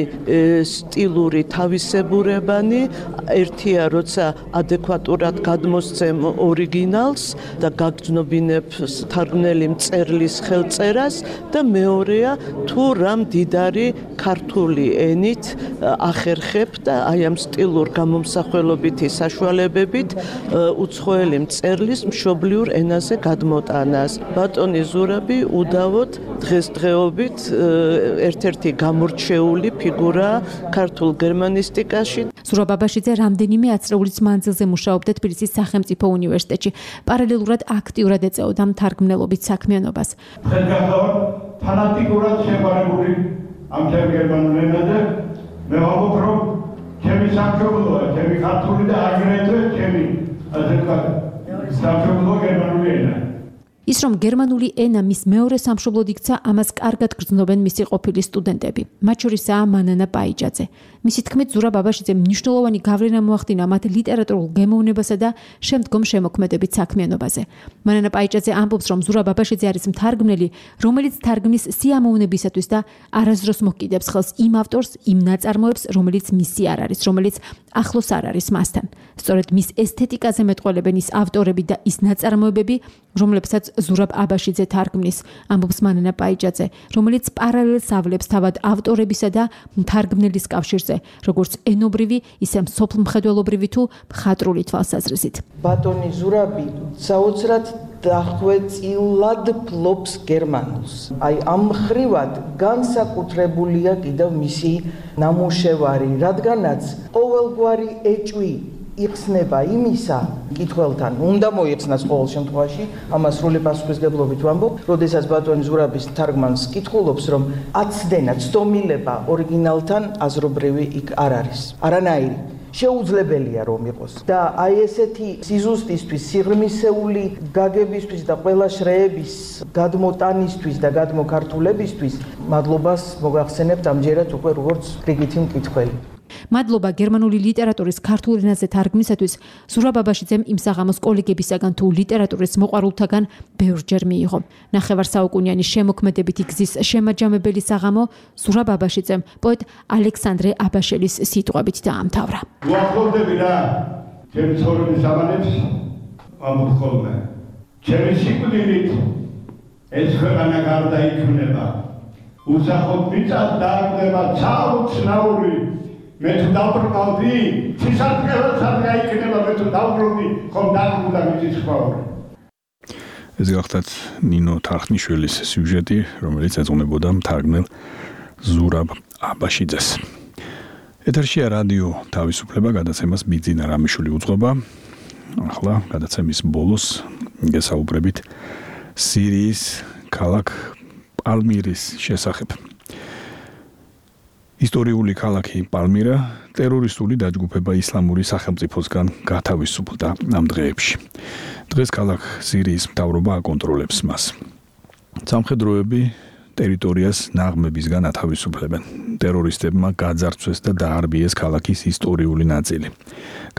სტილური თავისებურებანი, ერთია როცა ადეკვატურად გადმოსცემ ორიგინალს და გაგრძნობინებ თარგმნელი მწერლის ხელწერას და მეორეა თუ რამ დიდარი ქართული ენით ახერხებს და აი ამ სტილურ გამომსახველობითი საშუალებებით უცხოელი მწერლის მშობლიურ ენაზე გადმოტანას. ბატონი ზურაბი უდავოდ დღესდღეობით ერთ-ერთი გამორჩეული ფიგურაა ქართულ გერმანისტიკაში. ზურაბაბაშიძე რამდენიმე ათწლეულის მანძილზე მუშაობდა თბილისის სახელმწიფო უნივერსიტეტში. პარალელურად აქტიურად ეწეოდა მთარგმნელობით საქმიანობას. ხელგასავად ფანატიკურად შეყვარებული ამ გერმანულ ენაზე მე ვამბობ, რომ ჩემი სამშობლოა, ჩემი ქართული და აგრეთვე ჩემი ასე ვთქვათ, სამშობლო გერმანული ენა. ის რომ გერმანული ენა მის მეორე სამშობლოდ იქცა, ამას კარგად გრძნობენ მისი ყოფილი სტუდენტები. მათ შორისაა მანანა პაიჭაძე. მისი თქმით, ზურაბაბაშიძემ მნიშვნელოვანი გავლენა მოახდინა მათ ლიტერატურულ გემოვნებასა და შემდგომ შემოქმედებით საქმიანობაზე. მანანა პაიჭაძე ამბობს, რომ ზურაბაბაშიძე არის მთარგმნელი, რომელიც თარგმნის სიამოვნებისათვის და არასდროს მოჰკიდებს ხელს იმ ავტორს, იმ ნაწარმოებს, რომელიც მისი არ არის, რომელიც ახლოს არ არის მასთან. სწორედ მის ესთეტიკაზე მეტყველებენ ის ავტორები და ის ნაწარმოებები, რომლებსაც ზურაბ აბაშიძე თარგმნის, ამბობს მანანა პაიჭაძე, რომელიც პარალელს ავლებს თავად ავტორებისა და მთარგმნელის კავშირზე, როგორც ენობრივი, ისე მსოფლმხედველობრივი თუ მხატვრული თვალსაზრისით. ბატონი ზურაბი საოცრად დახვეწილად ფლობს გერმანულს. აი ამ ხრივად განსაკუთრებულია კიდევ მისი ნამუშევარი, რადგანაც ყოველგვარი ეჭვი იხსნება იმისა, მკითხველთან უნდა მოიხსნას ყოველ შემთხვევაში, ამას სრული პასუხისგებლობით ვამბობ, როდესაც ბატონი ზურაბის თარგმანს კითხულობს, რომ აცდენა, ცდომილება ორიგინალთან აზრობრივი იქ არ არის. არანაირი. შეუძლებელია რომ იყოს. და აი ესეთი სიზუსტისთვის, სიღრმისეული გაგებისთვის და ყველა შრეების გადმოტანისთვის და გადმოქართულებისთვის მადლობას მოგახსენებთ ამჯერად უკვე როგორც რიგითი მკითხველი. მადლობა გერმანული ლიტერატურის ქართულ ენაზე თარგმნისათვის ზურაბაბაშიძემ იმ საღამოს კოლეგებისაგან თუ ლიტერატურის მოყვარულთაგან ბევრჯერ მიიღო. ნახევარსაუკუნიანი შემოქმედებითი გზის შემაჯამებელი საღამო ზურაბაბაშიძემ პოეტ ალექსანდრე აბაშელის სიტყვებით დაამთავრა. უახლოვდები რა, ჩემი ცხოვრების ამანებს ამბობ ხოლმე. ჩემი სიკვდილით ეს ქვეყანა გარდაიქმნება. უსახოდ მიწად დააგდება ცალ-ცნაური მე თუ დავბრუნავდი, ცისარტყელად სადღა იქნება, მე თუ დავბრუნდი, ხომ დაბრუნდა მიწის ხვაური. ეს გახლავთ ნინო თარხნიშვილის სიუჟეტი, რომელიც ეძღვნებოდა მთარგმნელ ზურაბ აბაშიძეს. ეთერშია რადიო თავისუფლება, გადაცემას ბიძინა რამიშვილი უძღვება. ახლა გადაცემის ბოლოს გესაუბრებით სირიის ქალაქ პალმირის შესახებ. ისტორიული ქალაქი პალმირა ტერორისტული დაჯგუფება ისლამური სახელმწიფოსგან გათავისუფლდა ამ დღეებში. დღეს ქალაქ სირიის მთავრობა აკონტროლებს მას. სამხედროები ტერიტორიას ნაღმებისგან ათავისუფლებენ. ტერორისტებმა გაძარცვეს და დაარბიეს ქალაქის ისტორიული ნაწილი.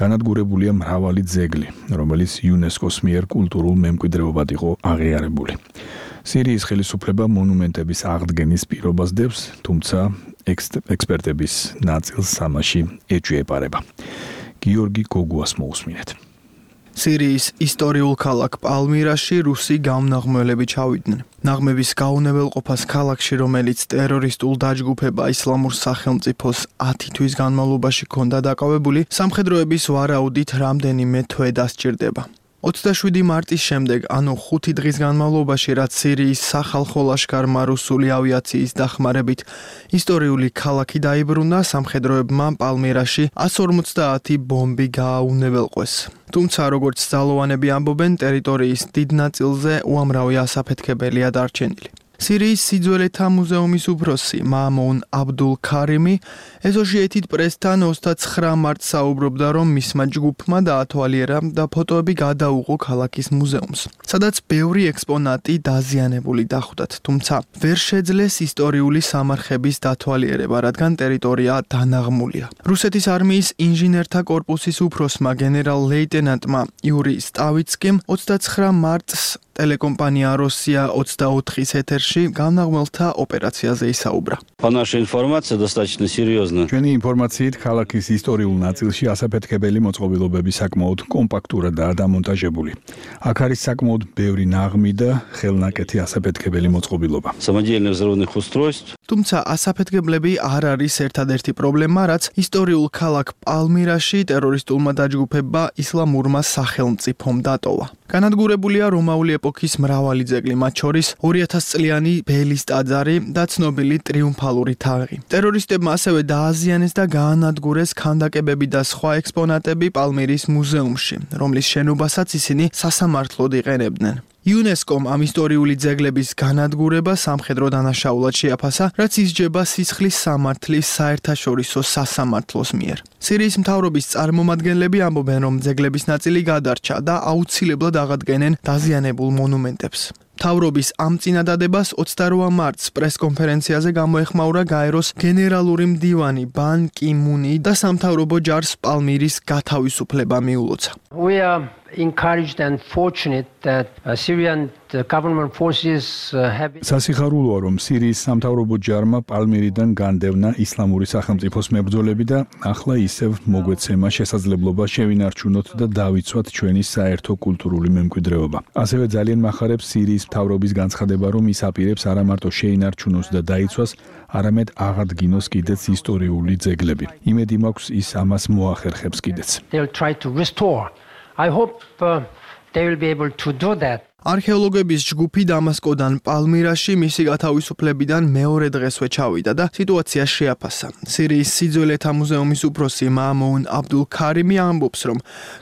განადგურებულია მრავალი ძეგლი, რომელიც იუნესკოს მიერ კულტურულ მემკვიდრეობად იყო აღიარებული. სირიის ხელისუფლება მონუმენტების აღდგენის პირობას დებს, თუმცა ექსპერტების ნაწილს სამაში ეჭვი ეპარება. გიორგი გოგუას მოусმინეთ. სირიის ისტორიულ ქალაქ პალმირაში რუსი გამნაღმველები ჩავიდნენ. ნაღმების გაუნებელყოფას ქალაქში, რომელიც ტერორისტულ დაჯგუფება ისლამურ სახელმწიფოს ათი თვის განმავლობაში ჰქონდა დაკავებული, სამხედროების ვარაუდით რამდენიმე თვე დასჭირდება. ოცდაშვიდი მარტის შემდეგ, ანუ ხუთი დღის განმავლობაში, რაც სირიის სახალხო ლაშქარმა რუსული ავიაციის დახმარებით ისტორიული ქალაქი დაიბრუნა, სამხედროებმა პალმირაში εκατს ორმოცდაათი ბომბი გააუნებელყვეს. თუმცა, როგორც ძალოვანები ამბობენ, ტერიტორიის დიდ ნაწილზე უამრავი ასაფეთქებელია დარჩენილი. სირიის სიძველეთა მუზეუმის უფროსი მაამონ აბდულ ქარიმი Associated Press-თან ოცდაცხრა მარტს საუბრობდა, რომ მისმა ჯგუფმა დაათვალიერა და ფოტოები გადაუღო ქალაქის მუზეუმს, სადაც ბევრი ექსპონატი დაზიანებული დახვდათ, თუმცა ვერ შეძლეს ისტორიული სამარხების დათვალიერება, რადგან ტერიტორია დანაღმულია. რუსეთის არმიის ინჟინერთა კორპუსის უფროსმა გენერალ-ლეიტენანტმა იური სტავიცკიმ ოცდაცხრა მარტს ტელეკომპანია როსია ოცდაოთხის ეთერში განაღმელთა ოპერაციაზე ისაუბრა. По нашей информации достаточно серьезно. ჩვენი ინფორმაციით, ქალაქის ისტორიულ ნაწილში ასაფეთქებელი მოწყობილობები საკმაოდ კომპაქტურადაა დამონტაჟებული. აქ არის საკმაოდ ბევრი ნაღმი და ხელნაკეთი ასაფეთქებელი მოწყობილობა. Самодельных взрывных устройств. თუმცა ასაფეთქებლები არ არის ერთადერთი პრობლემა, რაც ისტორიულ ქალაქ პალმირაში ტერორისტულმა დაჯგუფებმა ისლამურმა სახელმწიფომ დატოვა. განადგურებულია რომაული ეპოქის მრავალი ძეგლი, მათ შორის ორი ათას წლიანი ბელის ტაძარი და ცნობილი ტრიუმფალური თაღი. ტერორისტებმა ასევე დააზიანეს და გაანადგურეს ქანდაკებები და სხვა ექსპონატები პალმირის მუზეუმში, რომლის შენობასაც ისინი სასამართლოდ იყენებდნენ. იუნესკომ ამ ისტორიული ძეგლების განადგურება სამხედრო დანაშაულად შეაფასა, რაც ისჯება სისხლის სამართლის საერთაშორისო სასამართლოს მიერ. სირიის მთავრობის წარმომადგენლები ამბობენ, რომ ძეგლების ნაწილი გადარჩა და აუცილებლად აღადგენენ დაზიანებულ მონუმენტებს. მთავრობის ამ წინადადებას ოცდარვა მარტს პრესკონფერენციაზე გამოეხმაურა გაეროს გენერალური მდივანი ბან კი მუნი და სამთავრობო ჯარს პალმირის გათავისუფლება მიულოცა. We are encouraged and fortunate that uh, Syrian uh, government forces uh, have სასიხარულოა, რომ სირიის სამთავრობო ჯარმა პალმირიდან განდევნა ისლამური სახელმწიფოს მებრძოლები და ახლა ისევ მოგვეცემა შესაძლებლობა შევინარჩუნოთ და დავიცვათ ჩვენი საერთო კულტურული მემკვიდრეობა. ასევე ძალიან მახარებს სირიის მთავრობის განცხადება, რომ ის აპირებს არა მარტო შეინარჩუნოს და დაიცვას, არამედ აღადგინოს კიდეც ისტორიული ძეგლები. იმედი მაქვს, ის ამას მოახერხებს კიდეც. They'll try to restore. I hope uh, they will be able to do that. არქეოლოგების ჯგუფი დამასკოდან პალმირაში მისი გათავისუფლებიდან მეორე დღესვე ჩავიდა და სიტუაცია შეაფასა. სირიის სიძველეთა მუზეუმის უფროსი მაამონ აბდულ ქარიმი ამბობს, რომ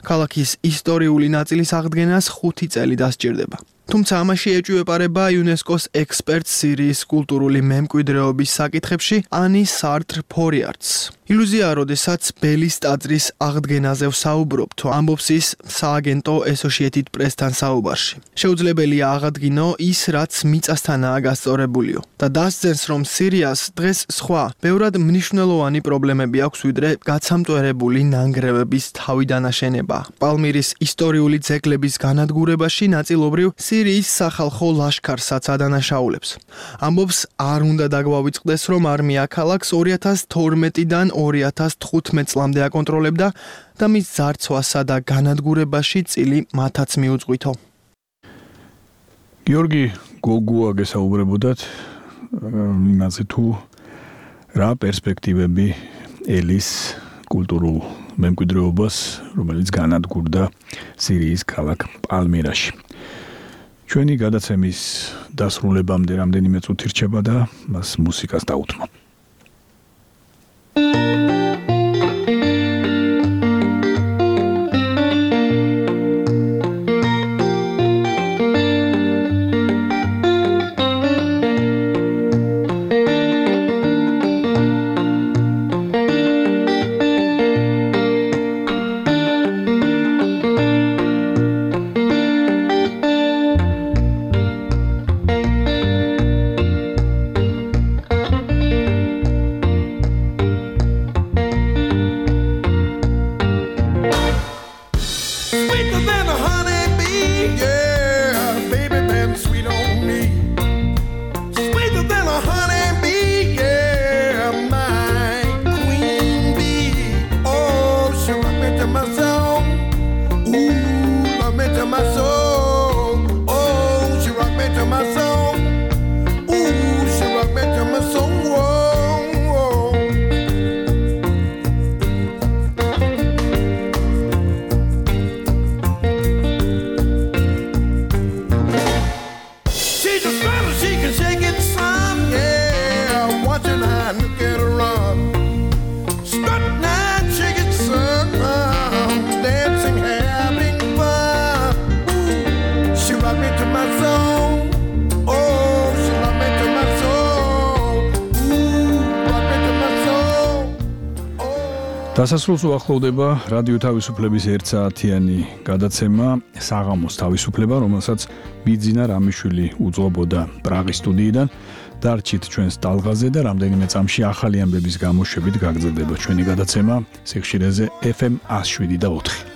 ქალაქის ისტორიული ნაწილის აღდგენას ხუთი წელი დასჭირდება. თუმცა ამაში ეჭვიეპარება იუნესკოს ექსპერტ სირიის კულტურული მემკვიდრეობის საკითხებში ანი სარტრ ფორიარტს. ილუზია, როდესაც ბელის ტაძრის აღდგენაზე ვსაუბრობთ, ამბობს ის სააგენტო Associated Press-თან საუბარში. შეუძლებელია აღადგინო ის, რაც მიწასთანაა გასწორებულიო და დასძენს, რომ სირიას დღეს სხვა, ბევრად მნიშვნელოვანი პრობლემები აქვს, ვიდრე გაცამტვერებული ნანგრევების თავიდანაშენება. პალმირის ისტორიული ძეგლების განადგურებაში ნაწილობრივ სირიის სახალხო ლაშქარსაც ადანაშაულებს. ამბობს, არ უნდა დაგვავიწყდეს, რომ არმია ქალაქს ორი ათას თორმეტიდან ორი ათას თხუთმეტ წლამდე აკონტროლებდა და მის ძარცვასა და განადგურებაში წილი მათაც მიუძღვითო. გიორგი გოგუა გესაუბრებოდათ იმაზე თუ რა პერსპექტივები ელის კულტურულ მემკვიდრეობას, რომელიც განადგურდა სირიის ქალაქ პალმირაში. ჩვენი გადაცემის დასრულებამდე რამდენიმე წუთი რჩება და მას მუსიკას დაუთმობ. დასასრულს უახლოვდება რადიო თავისუფლების ერთ საათიანი გადაცემა საღამოს თავისუფლება, რომელსაც ბიძინა რამიშვილი უძღვებოდა პრაღის სტუდიიდან. დარჩით ჩვენს ტალღაზე და რამდენიმე წამში ახალი ამბების გამოშვებით გაგრძელდება ჩვენი გადაცემა სიხშირეზე ეფ ემ one oh seven და ოთხი.